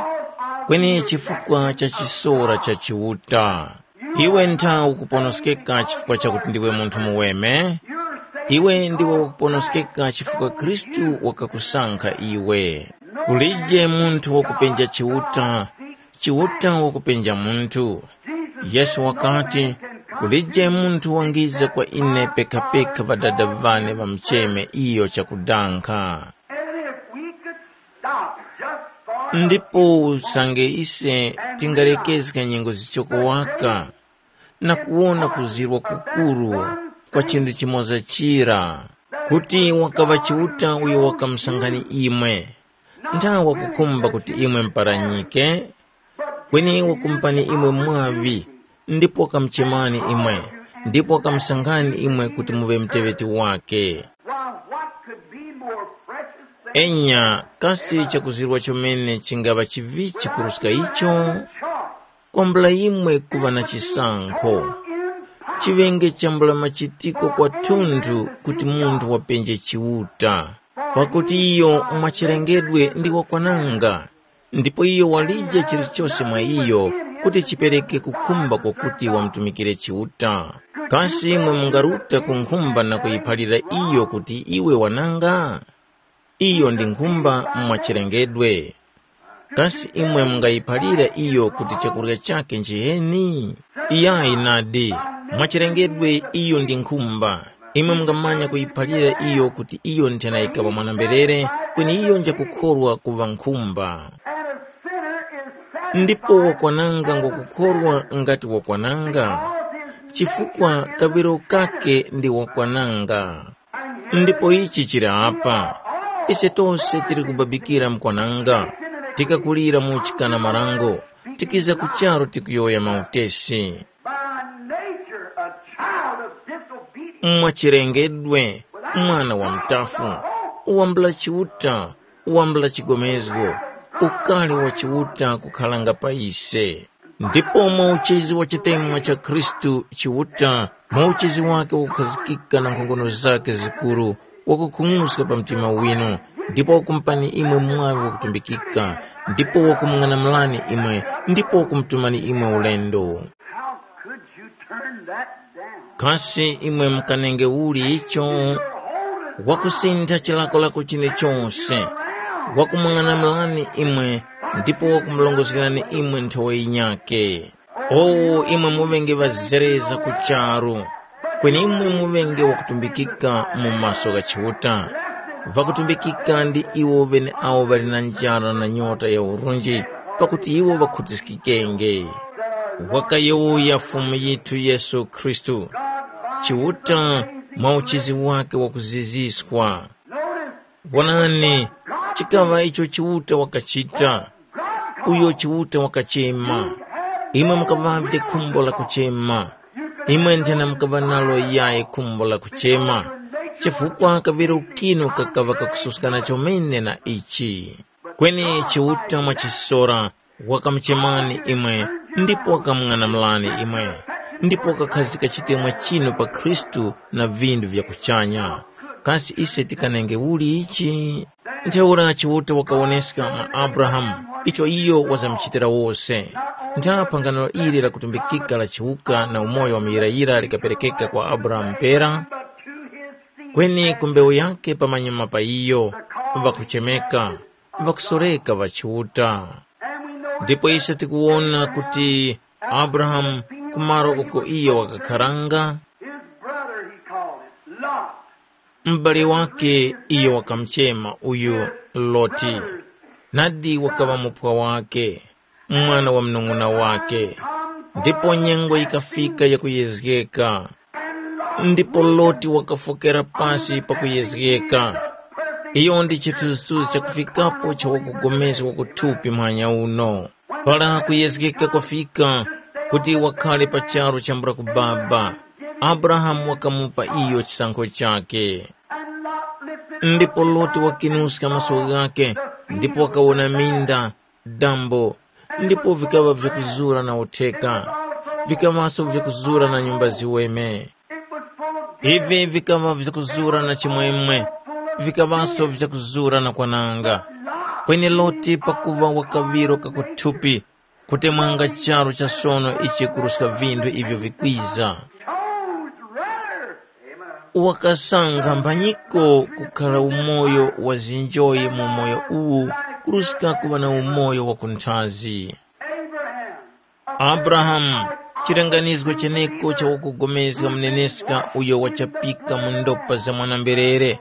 kweni chifukwa cha chisora cha Chiuta. Iwe ntha ukuponoskeka chifukwa chakuti ndiwe munthu muweme? Iwe ndiwe wakuponoskeka chifukwa Khristu wakakusankha iwe. Kulije munthu wakupenja Chiuta, Chiuta wakupenja munthu. Yesu wakati, kulije munthu wangiza kwa ine pekapeka Ŵadada ŵane ŵamucheme iyo chakudankha. And if we could stop just for a Ndipo usange ise tingalekezga nyengo zichoko waka na kuwona kuzirwa kukuru kwa chinthu chimoza chira, kuti wakaŵa Chiuta uyo wakamusankhani imwe, nthawe wakukhumba kuti imwe muparanyike, kweni wakumupani imwe mwaŵi, ndipo wakamuchemani imwe, ndipo wakamusankhani imwe kuti muŵe muteŵeti wake. Why, what could be more precious than Enya, kasi chakuzirwa chomene chingaŵa chivichi kuruska icho? Choice. Kwambula imwe kuŵa na chisankho. Chiŵenge chambula machitiko kwathunthu kuti munthu wapenje Chiuta. Pakuti iyo mwachilengedwe ndi wakwananga, ndipo iyo walije chilichose mwa iyo kuti chipereke kukhumba kwakuti wamutumikire Chiuta. Kasi imwe mungaruta ku nkhumba na kuyiphalira iyo kuti iwe wananga? Iyo ndi nkhumba mwachilengedwe. Kasi imwe mungayiphalira iyo kuti chakurya chakhe nchiheni? Iyayi nadi, mwachilengedwe iyo ndi nkhumba. Imwe mungamanya kuyiphalira iyo kuti iyo nthena yikaŵa mwana-mberere, kweni iyo njakukhorwa kuŵa nkhumba. Ndipo wakwananga ngwakukhorwa ngati wakwananga, chifukwa kaŵiro kake ndi wakwananga. Ndipo ichi chili apa, ise tose tili kubabikira mkwananga, tikakulira mu uchikana marango, tikiza ku charu tikuyowoya mautesi. By nature, a child of disobedience. Mwachilengedwe, mwana wa mtafu, wambula Chiuta, wambula chigomezgo, ukali wa Chiuta kukhalanga pa ise. Ndipo mwa uchezi wa chitemwa cha Khristu Chiuta, mwa uchezi wake wakukhazikika na nkhongono zake zikuru, wakukhung'uska pa mtima winu, ndipo wakumupani imwe mwaŵi wakutumbikika, ndipo wakumung'anamulani imwe, ndipo wakumutumani imwe ulendo. How could you turn that down? Kasi imwe mukanenge uli icho? Wakusintha chilakolako chine chose, wakumung'anamulani imwe, ndipo wakumulongozgerani imwe nthowa yinyakhe. Owo imwe muŵenge ŵazereza ku charu, kweni imwe muŵenge wakutumbikika mu maso gha Chiuta. Ŵakutumbikika ndi iwo ŵeneawo ŵali na njara na nyota ya urunji, pakuti iwo ŵakhutiskikenge. Wakayowoya Fumu yithu Yesu Khristu, Chiuta mwa uchizi wakhe wakuziziswa. Wonani, chikaŵa icho Chiuta wakachita, uyo Chiuta wakachema. Imwe mukaŵavye khumbo la kuchema. Imwe nthena mukaŵa nalo yayi khumbo la kuchema, chifukwa kaŵiro kinu kakaŵa kakususkana chomene na ichi. Kweni Chiuta mwachisora wakamuchemani imwe, ndipo wakamung'anamulani imwe, ndipo wakakhazika chitemwa chinu pa Khristu na vindu vya kuchanya. Kasi ise tikanenge uli ichi? Ntheura Chiuta wakawoneska mwa Abrahamu icho iyo wazamuchitira wose. Ntha phangano ili lakutumbikika la chiwuka na umoyo wa muyirayira likaperekeka kwa Abrahamu pera, kweni ku mbewu yake pamanyuma pa iyo, ŵakuchemeka, ŵakusoreka ŵa Chiuta. Ndipo ise tikuwona kuti Abrahamu, ku malo uko iyo wakakharanga, his brother, he called it, Lot. M'bale wake iyo wakamuchema uyu Loti, nadi wakaŵa mupwa wake, mwana wa munung'una wake. Ndipo nyengo yikafika yakuyezgeka, ndipo Loti wakafokera pasi pakuyezgeka. Iyo ndi chithunzithunzi chakufikapo cha wakugomezga wakuthupi muhanya uno. Para kuyezgeka kwafika kuti wakhare pa charu chambula kubaba, Abrahamu wakamupa iyo chisankho chakhe. Ndipo Loti wakinuska maso ghakhe ndipo wakawona minda, dambo, ndipo vikaŵa vyakuzura na utheka, vikaŵaso vyakuzura na nyumba ziweme. Ivi vikaŵa vyakuzura na chimwemwe, vikaŵaso vyakuzura na kwananga. Kweni Loti pakuŵa wakaŵiro kakuthupi, kutemwanga charu cha sono ichi kuruska vinthu ivyo vikwiza. Chose rather. Wakasankha mphanyiko kukhala umoyo wa zinjoyi mu umoyo uwu kuruska kuŵa na umoyo wa kunthazi. Abrahamu, chilenganizgo cheneko cha wakugomezga muneneska uyo wachapika mu ndopa za mwana-mberere,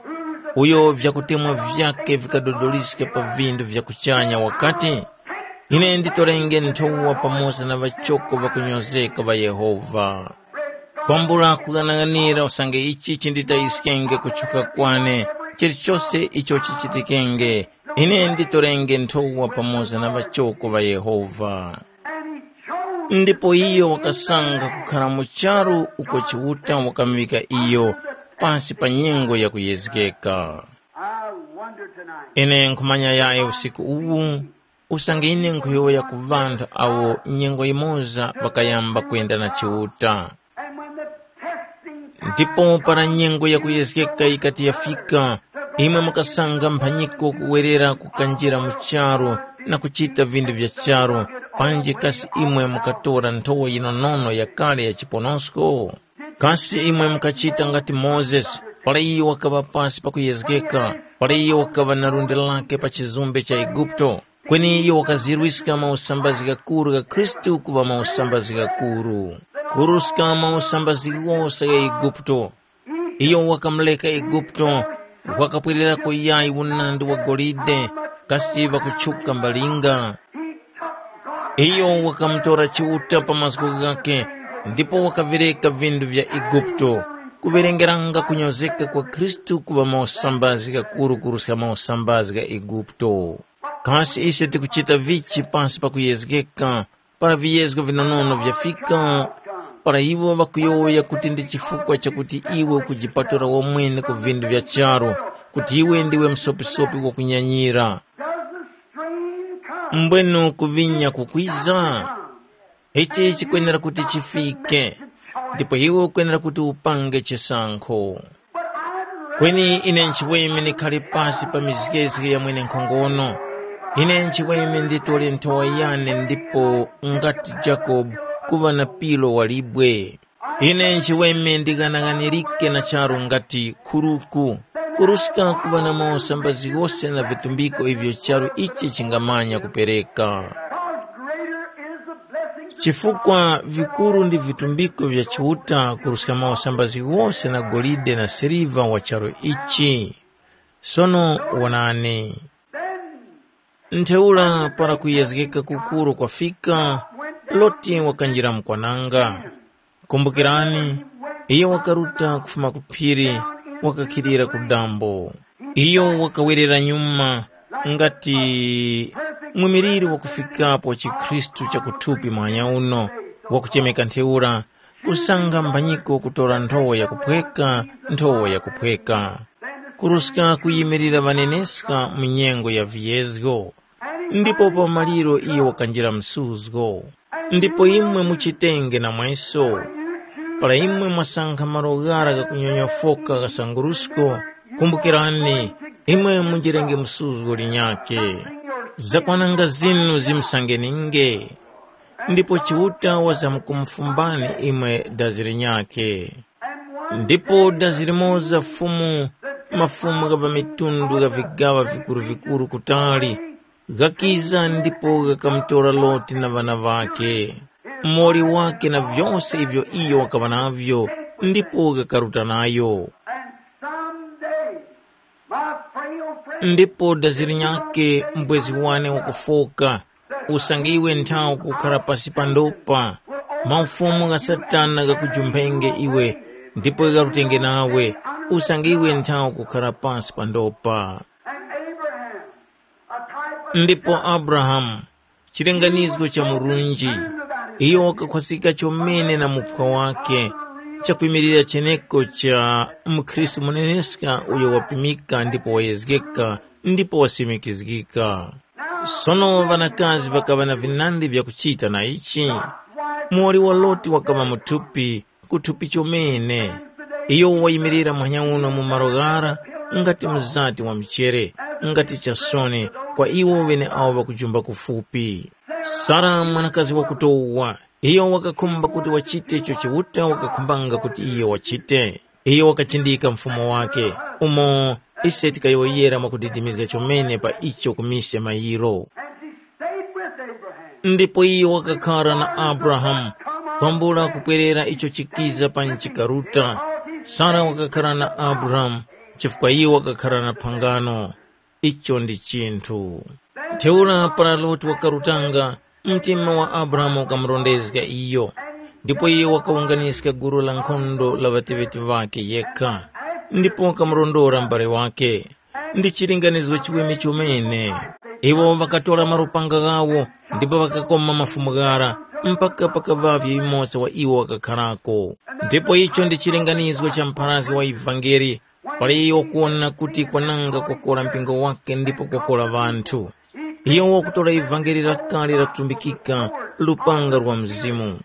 uyo vyakutemwa vyake vikadodoliska pa vindu vya kuchanya wakati, ine nditorenge nthowa pamoza na ŵachoko ŵakunyozeka ŵa Yehova. Kwambula kughanaghanira usange ichi chinditayiskenge kutchuka kwane, chilichose icho chichitikenge, ine nditorenge nthowa pamoza na ŵachoko ŵa Yehova. Ndipo iyo wakasankha kukhara mu charu uko Chiuta wakamuŵika iyo pasi pa nyengo ya kuyezgeka. I wonder tonight. Ine nkhumanya yayi usiku uwu, usange ine nkhuyowoya ku ŵanthu awo nyengo yimoza ŵakayamba kwenda na Chiuta. And when the testing time ndipo para nyengo yakuyezgeka yikati yafika, imwe mukasanga mphanyiko kuwerera kukanjira mu charu na kuchita vinthu vya charu, panji kasi imwe mukatora nthowa yinonono yakale ya chiponosko? Kasi imwe mukachita ngati Mozesi, para iyo wakaŵa pasi pakuyezgeka, para iyo wakaŵa na lundi lake pa chizumbe cha Eguputo? Kweni iyo wakazirwiska mausambazi ghakuru gha Khristu kuŵa mausambazi ghakuru. Kuruska mausambazi ghose gha Eguputo, iyo wakamureka Eguputo, wakapwererako yayi unandi wa golide, kasi ŵakutchuka mbalinga. Iyo wakamutora Chiuta pa mazgu ghakhe, ndipo wakavireka vindu vya Eguputo, kuverengeranga kunyozeka kwa Khristu kuŵa mausambazi ghakuru kuruska mausambazi gha Eguputo. Kasi ise tikuchita vichi pasi pa kuyezgeka, para viyezgo vinonono vyafika? Para iwo ŵakuyowoya kuti ndi chifukwa chakuti iwe ukujipatula wamwene ku vindu vya charu, kuti iwe ndiwe msopisopi wakunyanyira. Mbwenu kuvinya kukwiza? Ichi chikwenera kuti chifike, ndipo iwe ukwenera kuti upange chisankho. Kweni ine nchiweme ndikhare pasi pa mizgezge ya mwenenkhongono. Ine nchiweme nditore nthowa yane ndipo ngati Jakobe kuŵa na pilo wa libwe. Ine nchiweme ndighanaghanirike na charu ngati khuruku, kuruska kuŵa na mausambazi ghose na vitumbiko ivyo charu ichi chingamanya kupereka. Because greater is the blessing. Chifukwa vikuru ndi vitumbiko vya Chiuta kuruska mausambazi ghose na golide na siliva wa charu ichi. Sono wonani. Then Ntheura para kuyezgeka kukuru kwafika, Loti wakanjira mu kwananga. Kumbukirani, iyo wakaruta kufuma ku phiri, wakakhilira ku dambo. Iyo wakawerera nyuma ngati mwimiliri wakufikapo chikhristu cha kuthupi muhanya uno, wakuchemeka ntheura, kusanga mbanyiko kutora nthowa yakuphweka, nthowa yakuphweka. Kuruska kuyimirira ŵaneneska mu nyengo ya viyezgo, ndipo pa maliro iyo wakanjira msuzgo. Ndipo imwe muchitenge namweso, para imwe mwasankha malo ghara ghakunyonyofoka ghasangurusko, kumbukirani, imwe munjirenge msuzgo linyakhe. Zakwananga zinu zimusangeninge, ndipo Chiuta wazamkumufumbani imwe dazi linyakhe. Ndipo dazi limoza Fumu, mafumu gha pa mitundu gha vigaŵa vikuru-vikuru kutali, ghakiza ndipo ghakamutora Loti na ŵana ŵakhe, muwoli wakhe na vyose ivyo iyo wakaŵa navyo, ndipo ghakaruta nayo. And someday, my frail friend, Ndipo dazi linyakhe mbwezi wane wakufoka, usange iwe nthawi kukhara pasi pa ndopa, maufumu gha Satana ghakujumphenge iwe, ndipo gharutenge nawe, usange iwe nthawi kukhara pasi pa ndopa. And Abraham, a type of Ndipo Abrahamu, chilinganizo cha Murunji, iyo wakakhwasika chomene na muphwa wake, chakwimirira cheneko cha mukhristu muneneska uyo wapimika ndipo wayezgeka ndipo wasimikizgika. Sono ŵanakazi ŵakaŵa na vinandi vyakuchita na ichi. Muwoli wa Loti wakaŵa muthupi, kuthupi chomene. Iyo wayimirira muhanya uno mu malo ghara ngati mzati wa mchere, ngati chasoni kwa iwo ŵeneawo ŵakujumba kufupi. Sara mwanakazi wakutowa, iyo wakakhumba kuti wachite icho Chiuta wakakhumbanga kuti iyo wachite. Iyo wakachindika mfumo wake, umo ise tikayowoyera mwakudidimizga chomene pa icho ku mise mayiro. And she stayed with Abraham. Ndipo iyo wakakhara na Abrahamu, kwambula kupwerera icho chikiza pa nchikaruta. Sara wakakhara na Abrahamu chifukwa iyo wakakhara na phangano. Icho ndi chinthu. Ntheura para Loti wakarutanga, mtima wa Abrahamu ukamurondezga iyo, ndipo iyo wakawunganiska gulu la nkhondo la ŵateŵeti ŵakhe yekha, ndipo wakamurondora m'bale wake. Ndi chilinganizo chiweme chomene. Iwo ŵakatora malupanga ghawo ndipo ŵakakoma mafumu ghara, mpaka pakaŵavye yumoza wa iwo wakakharako. Ndipo icho ndi chilinganizo cha mpharazgi wa ivangeli, pali iyo wakuwona kuti kwananga kwakora mpingo wake ndipo kwakora ŵanthu. Iyo wakutora ivangeli lakale lakutumbikika, lupanga lwa Mzimu.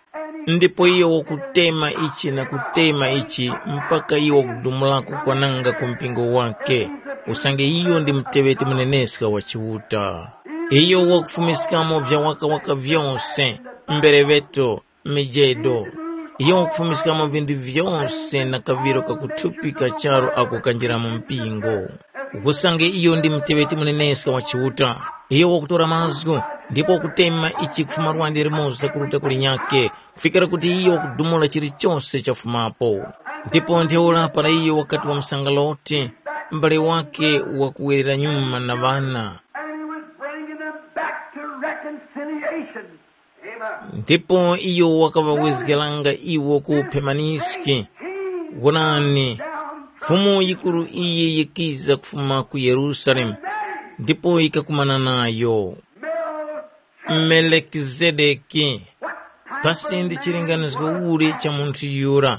Ndipo iyo wakutema ichi na kutema ichi mpaka iyo wakudumulako kwananga ku mpingo wake, usange iyo ndi muteŵeti muneneska wa Chiuta. Iyo wakufumiskamo vya wakawaka vyose, mbereŵeto, mijedo. Iyo wakufumiskamo vinthu vyose na kaŵiro kakuthupi ka charu ako kanjira mu mpingo. Usange iyo ndi muteŵeti muneneska wa Chiuta, iyo wakutora mazgu, ndipo wakutema ichi kufuma lwande limoza kuruta ku linyakhe, kufikira kuti iyo wakudumula chilichose chafumapo. Ndipo ntheura para iyo wakati wamusanga Loti, m'bale wake wakuwerera nyuma na ŵana. And he was bringing them back to reconciliation. Ndipo iyo wakaŵawezgeranga iwo ku Phemaniski. Wonani, Fumu yikuru iyi yikiza kufuma ku Yerusalemu, ndipo yikakumana nayo. Melikizedeki, kasi ndi chilinganizo uli cha munthu yura?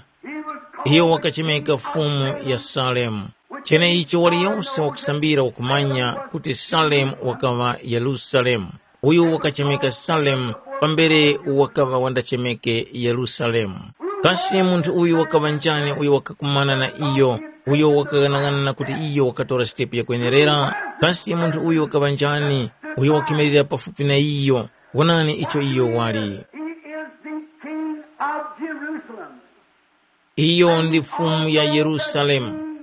Iyo wakachemeka Fumu ya Salemu. Cheneicho waliyose wakusambira wakumanya kuti Salemu wakaŵa Yerusalemu. Uyu wakachemeka Salemu pambere wakaŵa wandachemeke Yerusalemu. Kasi munthu uyu wakaŵa njani uyo wakakumana na iyo uyo wakaghanaghanana kuti iyo wakatora sitepu yakwenerera, kasi munthu uyu wakaŵa njani, uyo wakimilira pafupi na iyo? Wonani icho iyo wali. He is the King of Jerusalem. Iyo ndi Fumu ya Yerusalemu,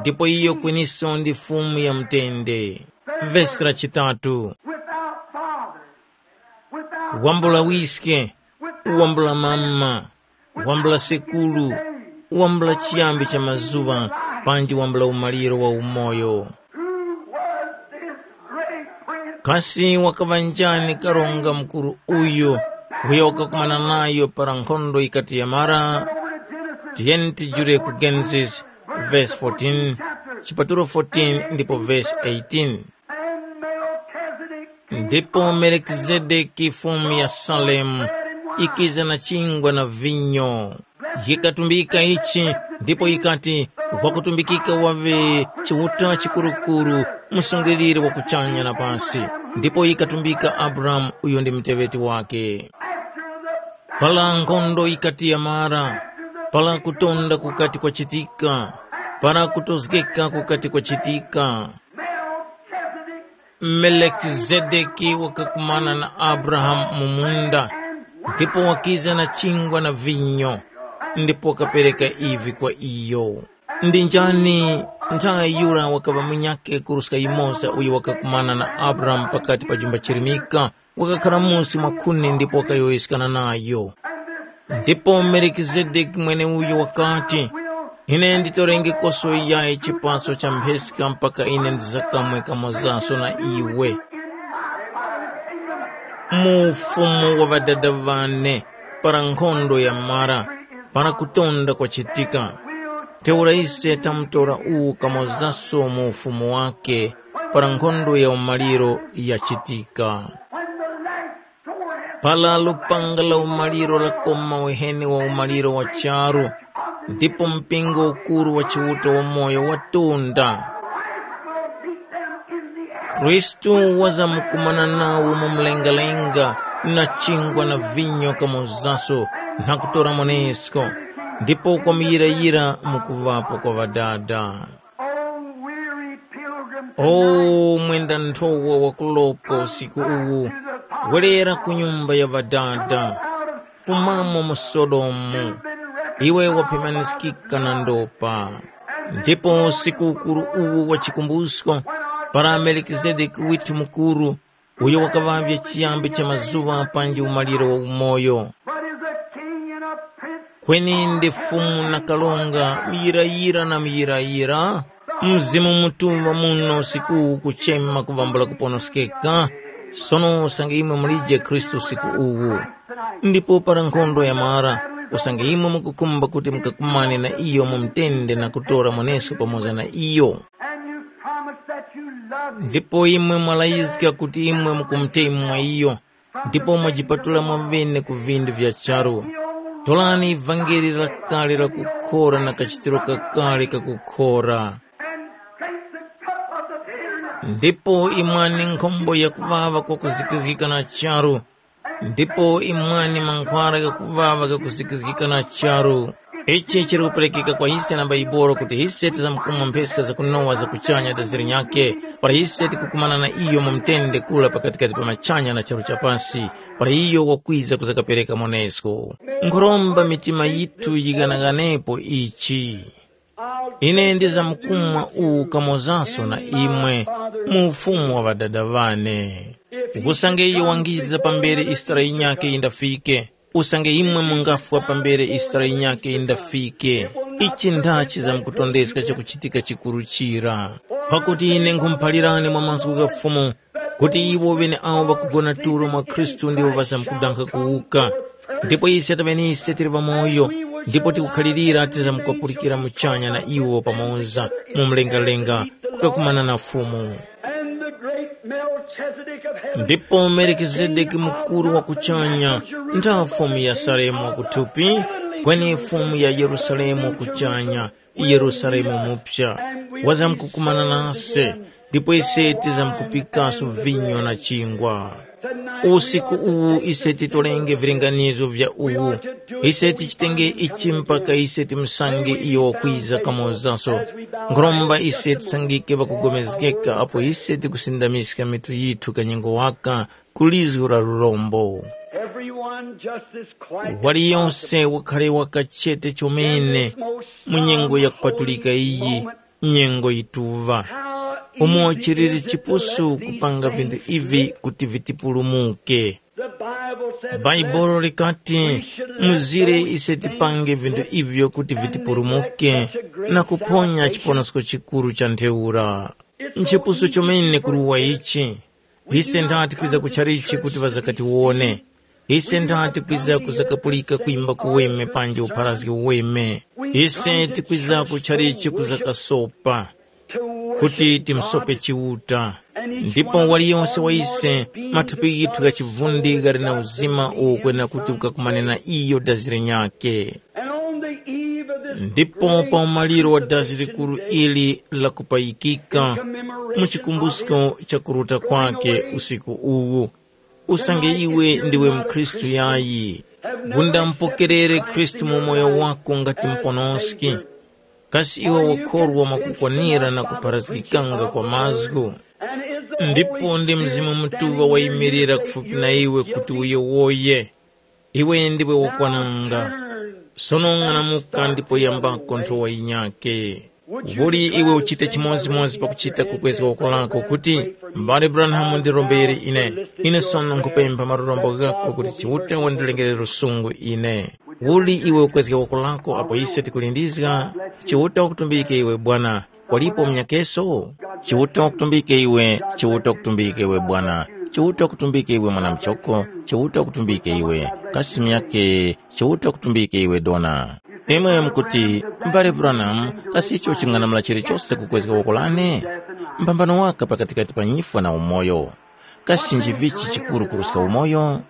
ndipo iyo kweniso ndi Fumu ya mutende. Vesi la chitatu. Without father, without wambula wiske, wambula mama, wambula sekuru, wambula chiyambi cha mazuŵa, panji wambula umaliro wa umoyo. Who was this great prince? Kasi wakaŵa njani karonga mukuru uyu, uyo wakakumana nayo para nkhondo yikati yamara? Over to Genesis, tiyeni tijule ku Genesis, verse fourteen, chipatulo fourteen ndipo verse eighteen. And Melchizedek, ndipo melikizedeki fumu ya salemu ikiza na chingwa na vinyo. Yikatumbika ichi, ndipo yikati, wakutumbikika waŵe chiuta chikurukuru, msungiliri wa kuchanya na pasi. Ndipo yikatumbika abrahamu, uyo ndi muteŵeti wake. Pala nkhondo yikati yamara, pala kutonda kukati kwachitika, pala kutozgeka kukati kwachitika. Melekizedeki wakakumana na Abrahamu mu munda, ndipo wakiza na chingwa na vinyo, ndipo wakapereka ivi kwa iyo. Ndi njani nthawi yura wakaŵa munyakhe kuruska yumoza uyo wakakumana na Abrahamu pakati pa jumba chirimika, wakakhara musi mwa khuni ndipo wakayowoyeskana nayo. Ndipo Melikizedeki mweneuyo wakati, ine nditorenge koso yayi chipaso cha mpheska mpaka ine ndizakamwe kamozaso na iwe mu ufumu wa ŵadada ŵane, para nkhondo yamara, para kutonda kwachitika. Ntheura ise tamutora uwu kamozaso mu ufumu wake, para nkhondo ya umaliro yachitika. Para lupanga la umaliro lakoma uheni wa umaliro wa charu, ndipo mpingo ukuru wa Chiuta wamoyo watunda. Khristu wazamkumana nawo mu mlengalenga na chingwa na vinyo kamozaso, na kutora mwanesko, ndipo kwamuyirayira mu kuŵapo kwa Ŵadada. O weary pilgrim, o mwenda nthowa wakulopa usiku uwu, werera ku nyumba ya Ŵadada, fumamo mu Sodomu, iwe waphemaniskika na ndopa. Ndipo usiku ukuru uwu wa chikumbusko, para Melikizedeki withu mukuru, uyo wakaŵavye chiyambi cha mazuŵa panji umaliro wa umoyo. But is a king and a prince. Kweni ndi Fumu na Karonga, muyirayira na muyirayira. Mzimu Mutuŵa muno usiku uwu kuchema kuvambula kuponoskeka. Sono usange imwe mulije Khristu usiku uwu. Ndipo para nkhondo yamara, usange imwe mukukhumba kuti mukakumane na iyo mu mtende na kutora mwaneso pamoza na iyo. And you promise that you love him. Ndipo imwe mwalayizga kuti imwe mukumutemwa iyo, ndipo mwajipatula mwamwene ku vindu vya charu. Torani vangeli lakale la kukhora na kachitiro kakale kakukhora. And drink the cup of the bitterness. Ndipo imwani nkhombo yakuwawa kwakuzikizgika na charu, ndipo imwani mankhwara ghakuwawa ghakuzikizgika na charu. Ichi chili kuperekeka kwa ise na Baibolo kuti ise tizamkumwa mpheska zakunowa za kuchanya ta zilinyakhe, para ise tikukumana na iyo mu mtende kura pakatikati pa machanya na charu cha pasi, para iyo wakwiza kuzakapereka monesko. Nkhuromba mitima yithu yighanaghanepo ichi. Ine ndizamkumwa uwu kamozanso na imwe mu ufumu wa Ŵadada ŵane. Usange iyo wangiza pambere isitara yinyakhe yindafike, usange imwe mungafwa pambere isitara yinyakhe yindafike, ichi ndachi zamkutondeska chakuchitika chikuru chira. Pakuti ine nkhumuphalirani mwa mazgu gha Fumu, kuti iwo ŵeneawo ŵakugona tulo mwa Khristu ndiwo ŵazamkudankha kuwuka. Ndipo ise taŵenise tili ŵamoyo, ndipo tikukhalirira tizamkuŵapulikira muchanya na iwo pamoza mu mlengalenga kukakumana na Fumu. And the great Melchizedek of heaven. Ndipo Melikizedeki mukuru wa kuchanya, ntha Fumu ya Salemu wakuthupi, kweni Fumu ya Yerusalemu wa kuchanya, Yerusalemu mupya, wazamkukumana nase, ndipo ise tizamkupikaso vinyo na chingwa. Usiku uwu ise titolenge vilinganizo vya uwu. Ise tichitenge ichi mpaka ise timusange iyo wakwiza kamozaso. Nkhuromba ise tisangike pakugomezgeka apo ise tikusindamiska mitu yithu kanyengo waka ku lizgu la lurombo. Everyone just as quiet. Waliyonse wakhale wakachete chomene mu nyengo yakupatulika iyi, nyengo yituŵa. Umo chiliri chipusu kupanga vinthu ivi kuti vitipulumuke. Bhaibuli likati, muzire ise tipange vinthu ivyo kuti vitipulumuke na kuphonya chiponosko chikuru cha ntheura. Nchipusu chomene kuruwa ichi. Ise ndati kwiza ku chalichi kuti ŵazakatiwone. Ise ndati kwiza kuzakapulika kwimba kuweme panji upharazgi uweme. Ise tikwiza ku chalichi kuzakasopa kuti timsope Chiuta. Ndipo waliyonse wa ise, mathupi ghithu gha chivundi ghali na uzima uwo kwena kuti ukakumane na iyo dazi linyakhe. Ndipo pa umaliro wa dazi likuru ili lakupayikika, mu chikumbusko cha kuruta kwake usiku uwu, usange iwe ndiwe mkhristu yayi, gunda mupokerere Khristu mu moyo wako ngati muponoski. Kasi iwe wakhorwa mwakukwanira na kupharazgikanga kwa mazgu? Ndipo ndi Mzimu Mutuŵa wayimirira kufupi na iwe kuti uyowoye. Iwe ndiwe wakwananga. Sono ng'anamuka ndipo yambako nthowa yinyakhe. Kuli iwe uchite chimodzimodzi pakuchita kukwezga woko lako kuti, mbale Branham ndirombere ine. Ine sono nkhupempha malurombo ghako kuti Chiuta wandilengere lusungu ine. Kuli iwe ukwezga woko lako apo ise tikulindizga? Chiuta wakutumbike iwe bwana. Walipo munyakeso? Chiuta wakutumbike iwe, Chiuta wakutumbike iwe bwana. Chiuta wakutumbike iwe mwana mchoko, Chiuta wakutumbike iwe. Kasi myake, Chiuta wakutumbike iwe dona. Imwe mukuti, mbale Branham, kasi icho ching'anamula chilichose kukwezga woko lane? Mbambano waka pakatikati pa nyifwa na umoyo. Kasi nchivichi chikuru kuruska umoyo?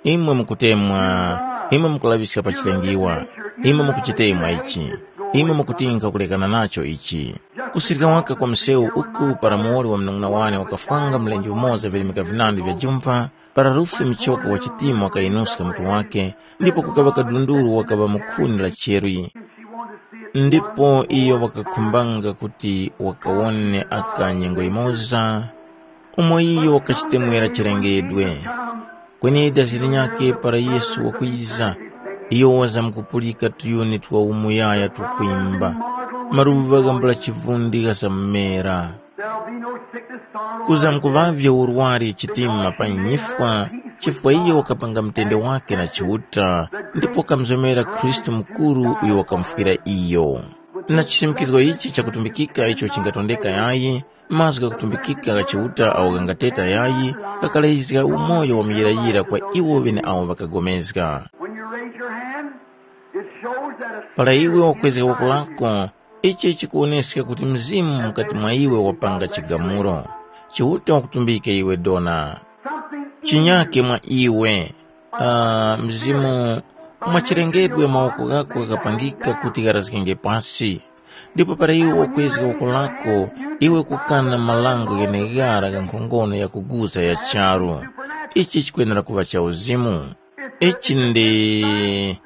Imwe mukutemwa, imwe mukulaŵiska pa chilengiwa, imwe mukuchitemwa ichi, imwe mukutinka kulekana nacho ichi. Kusirika waka kwa msewu uku para muwoli wa munung'una wane wakafwanga mlenje umoza virimika vinandi vya jumpha, para Rusi muchoko wa chitima wakayinuska mutu wake, ndipo kukaŵa kadunduru wakaŵa mu khuni la cherwi. Ndipo iyo wakakhumbanga kuti wakawone aka nyengo yimoza, umo iyo wakachitemwera chilengedwe. Kweni dazi linyakhe para Yesu wakwiza, iyo wazamkupulika tuyuni twa umuyaya tukwimba, maluŵa ghambula chivundi ghazamumera. Kuzamkuŵavye urwari chitima pa nyifwa, chifukwa iyo wakapanga mutende wake na Chiuta, ndipo wakamuzomera Khristu mukuru uyo wakamufwira iyo. Na chisimikizgo ichi chakutumbikika icho chingatondeka yayi, mazgu ghakutumbikika gha Chiuta agho ghangateta yayi, ghakalezga umoyo wa muyirayira kwa iwo ŵeneawo ŵakagomezga. When you raise your hand, it shows that a Para iwe wakwezga woko lako, ichi chikuwoneska kuti Mzimu mukati mwa iwe wapanga chigamulo. Chiuta wakutumbike iwe dona. Something Chinyake mwa iwe, ah, Mzimu, mwachilengedwe mawoko ghako ghakapangika kuti gharazgenge pasi. Ndipo para iwe wakwezga woko lako, iwe kukana marango gheneghara gha nkhongono yakuguza ya charu. Ichi chikwenera kuŵa cha uzimu. Ichi ndi,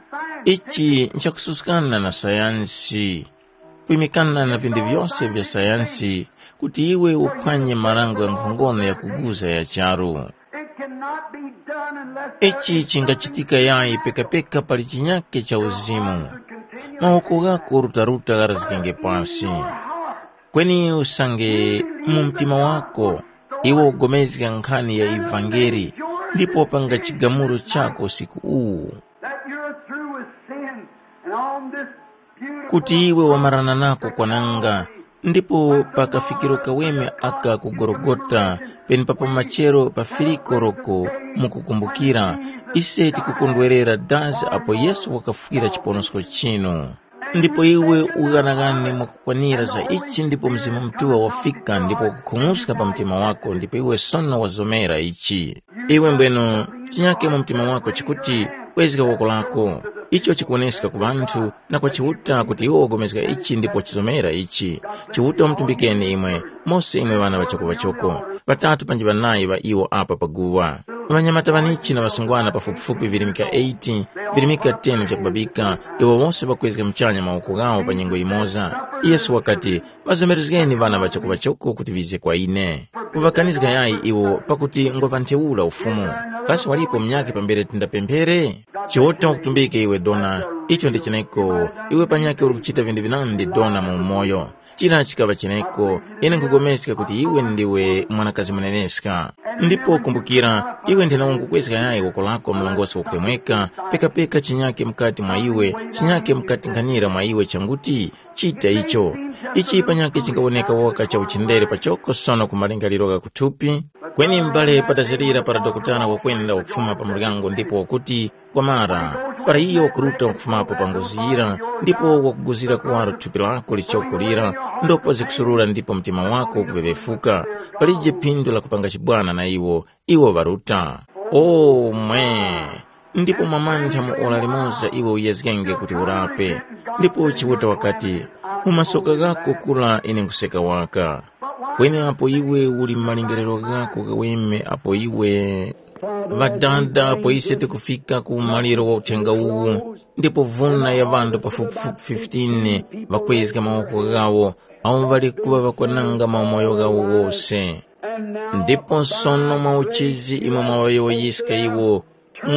ichi nchakususkana na sayansi. Kwimikana na vinthu vyose vya sayansi, kuti iwe uphwanye marango gha nkhongono yakuguza ya charu. It cannot be done unless there Ichi is chingachitika yayi pekapeka pali chinyake cha uzimu. Mawoko ghako rutaruta gharazgenge pasi. Kweni usange mu mtima wako iwe ugomezga nkhani ya ivangeli, ndipo wapanga chigamulo chako usiku uwu. That you're through with sin, and on this beautiful Kuti iwe wamarana nako kwananga, ndipo pa kafikiro kaweme aka ku Gologota, penepapo machero pa firiko loko mukukumbukira, ise tikukondwerera dazi apo Yesu wakafwira chiponosko chinu. Ndipo iwe ughanaghane mwakukwanira za ichi ndipo Mzimu Mutuŵa wafika ndipo wakukhung'uska pa mtima wako ndipo iwe sono wazomera ichi. Iwe mbwenu, chinyake mu mtima wako chikuti, kwezga woko lako. Icho chikuwoneska ku ŵanthu na kwa Chiuta kuti iwo wagomezga ichi ndipo wachizomera ichi. Chiuta wamutumbikeni imwe, mose imwe ŵana ŵa choko ŵa choko, ŵatatu panji ŵanayi ŵa iwo apa pa guwa. Ŵanyamata ŵanichi na ŵasungwana pafupifupi virimika eighty, virimika ten vyakubabika, iwo wose ŵakwezga muchanya mawoko ghawo pa nyengo yimoza. Yesu wakati, “Ŵazomerezgeni ŵana ŵachokoŵachoko kuti ŵize kwa ine. Kuŵakanizga yayi iwo pakuti ngwa ŵa ntheura Ufumu. Kasi walipo munyakhe pambere tindapemphere?” Chiuta wakutumbike iwe dona, icho ndi cheneko, iwe panyakhe uli kuchita vindu vinandi dona mu umoyo. Chira chikaŵa cheneko, ine nkhupulikana kuti iwe ndiwe mwanakazi muneneska. Ndipo kumbukira, iwe nthenawo nkhukwezga yayi woko lako mlongosi wakutemweka, pekapeka chinyake mukati mwa iwe, chinyake mukati nkhanira mwa iwe changuti, chita icho. Ichi panyakhe chingawoneka waka cha uchindere pachoko sono ku malingaliro gha kuthupi. Kweni m'bale patazirira para dokotala wakwenda wakufuma pa muryango ndipo wakuti, kwamara, para iyo wakuruta wakufumapo pa ngozi yira, ndipo wakuguzira kuwaro thupi lako lichoko lira, ndipo zikusurura ndipo mtima wako ukuvevefuka, palije phindu la kupanga chibwana na iwo, iwo ŵaruta. O mwe! Ndipo mwamantha mu ora limoza iwe uyezgenge kuti urape. Ndipo Chiuta wakati, mu masoka ghako kura ine nkhuseka waka. Kweni apo iwe uli mu malingaliro ghako ghaweme apo iwe Ŵadada apo ise tikufika ku umaliro wa uthenga uwu, ndipo vuna ya ŵanthu pafupifupi fifteen ŵakwezga mawoko ghawo, awo ŵali kuŵa ŵakwananga maumoyo ghawo wose. Ndipo sono mwa uchizi imwe mwaŵayowoyiska iwo,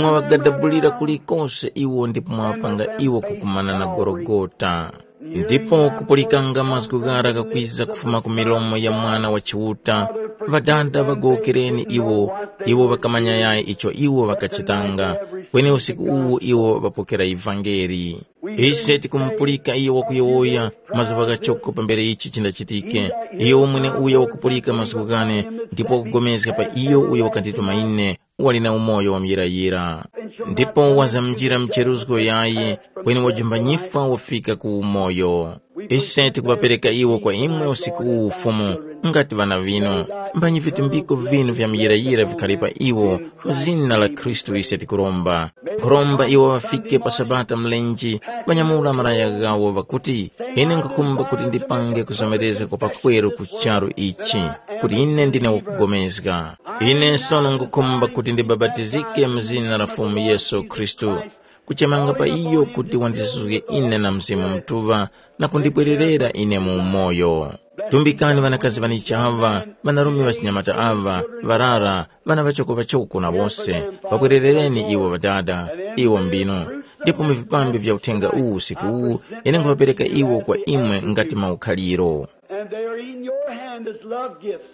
mwaŵagadabulira kulikose iwo ndipo mwaŵapanga iwo kukumana na Gologota. Ndipo kupulikanga mazgu ghara ghakwiza kufuma ku milomo ya Mwana wa Chiuta, Ŵadada ŵagowokereni iwo, iwo ŵakamanya yayi icho iwo ŵakachitanga, kweni usiku uwu iwo ŵapokera ivangeli. Ise tikumupulika iyo wakuyowoya mazuŵa ghachoko pambere ichi chindachitike. Iyo mweneuyo wakupulika mazgu ghane, ndipo wakupulikana pa iyo uyo wakandituma ine, wali na umoyo wa muyirayira. Ndipo wazamjira mcheruzgo yayi, kweni wajumba nyifwa wafika ku umoyo. Ise tikuŵapereka iwo kwa imwe usiku uwu Fumu, ngati ŵana vinu. Mphanyi vitumbiko vinu vya muyirayira vikhale pa iwo, mu zina la Khristu ise tikuromba. Nkhuromba iwo ŵafike pa Sabata mlenje, ŵanyamula malaya ghawo ŵakuti, ine nkhukhumba kuti ndipange kuzomerezga kwa pakweru ku charu ichi, kuti ine ndine wakugomezga. Ine sono nkhukhumba kuti ndibapatizike mu zina la Fumu Yesu Khristu, kuchemanga pa iyo kuti wandizuzge ine na Mzimu Mutuŵa na kundibwererera ine mu umoyo. Tumbikani ŵanakazi ŵanichi aŵa, ŵanarume ŵachinyamata aŵa, ŵarara, ŵana ŵachoko ŵachoko na wose, ŵakwererereni iwo Ŵadada, iwo mbinu. Ndipo mu vipambi vya uthenga uwu usiku uwu, ine nkhuŵapereka iwo kwa imwe ngati maukhaliro. And they are in your hand as love gifts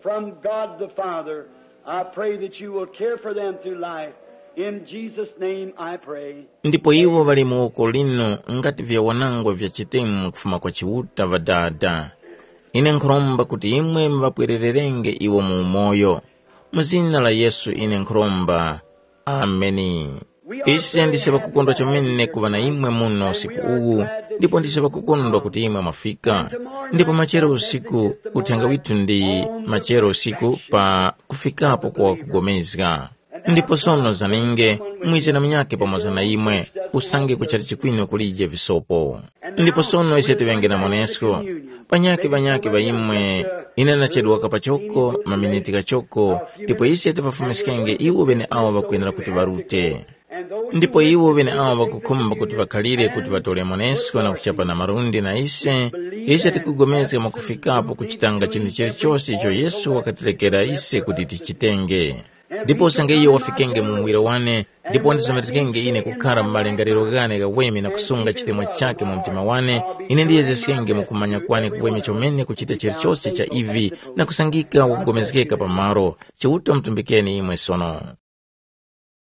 from God the Father. I pray that you will care for them through life. In Jesus' name I pray. Ndipo iwo ŵali mu woko linu ngati vyawanangwa vya chitemu kufuma kwa Chiuta Ŵadada. Ine nkhuromba kuti imwe muŵapwerererenge iwo mu umoyo. Mu zina la Yesu ine nkhuromba. Ameni. Ise ndise ŵakukondwa chomene kuŵa na imwe muno usiku uwu, ndipo ndise ŵakukondwa kuti imwe mwafika. Ndipo machero usiku, uthenga withu ndi machero usiku pa kufikapo kwa kugomezga. Ndipo sono zaninge, mwize na munyakhe pamoza na imwe, usange kuchali chikwino kulije visopo. Ndipo sono ise tiŵenge na monesko, panyakhe ŵanyakhe ŵa imwe, ine ndachedwaka pachoko maminiti ghachoko, ndipo ise tipafumiskenge iwo ŵeneawo ŵakwenera kuti ŵarute. Ndipo iwo ŵeneawo ŵakukhumba kuti ŵakhalire kuti ŵatore monesko na kuchapa na malundi na ise, ise tikugomezga mwakufikapo kuchitanga chinthu chilichose icho Yesu wakatirekera ise kuti tichitenge. Ndipo usange iyo wafikenge mu muwiro wane, ndipo wandizomerezgenge ine kukhara mu malingaliro ghane ghaweme na kusunga chitemwa chakhe mu mtima wane, ine ndiyezgeskenge mu kumanya kwane kuweme chomene kuchita chilichose cha ivi na kusangika wakugomezgeka pa malo. Chiuta mutumbikeni imwe sono.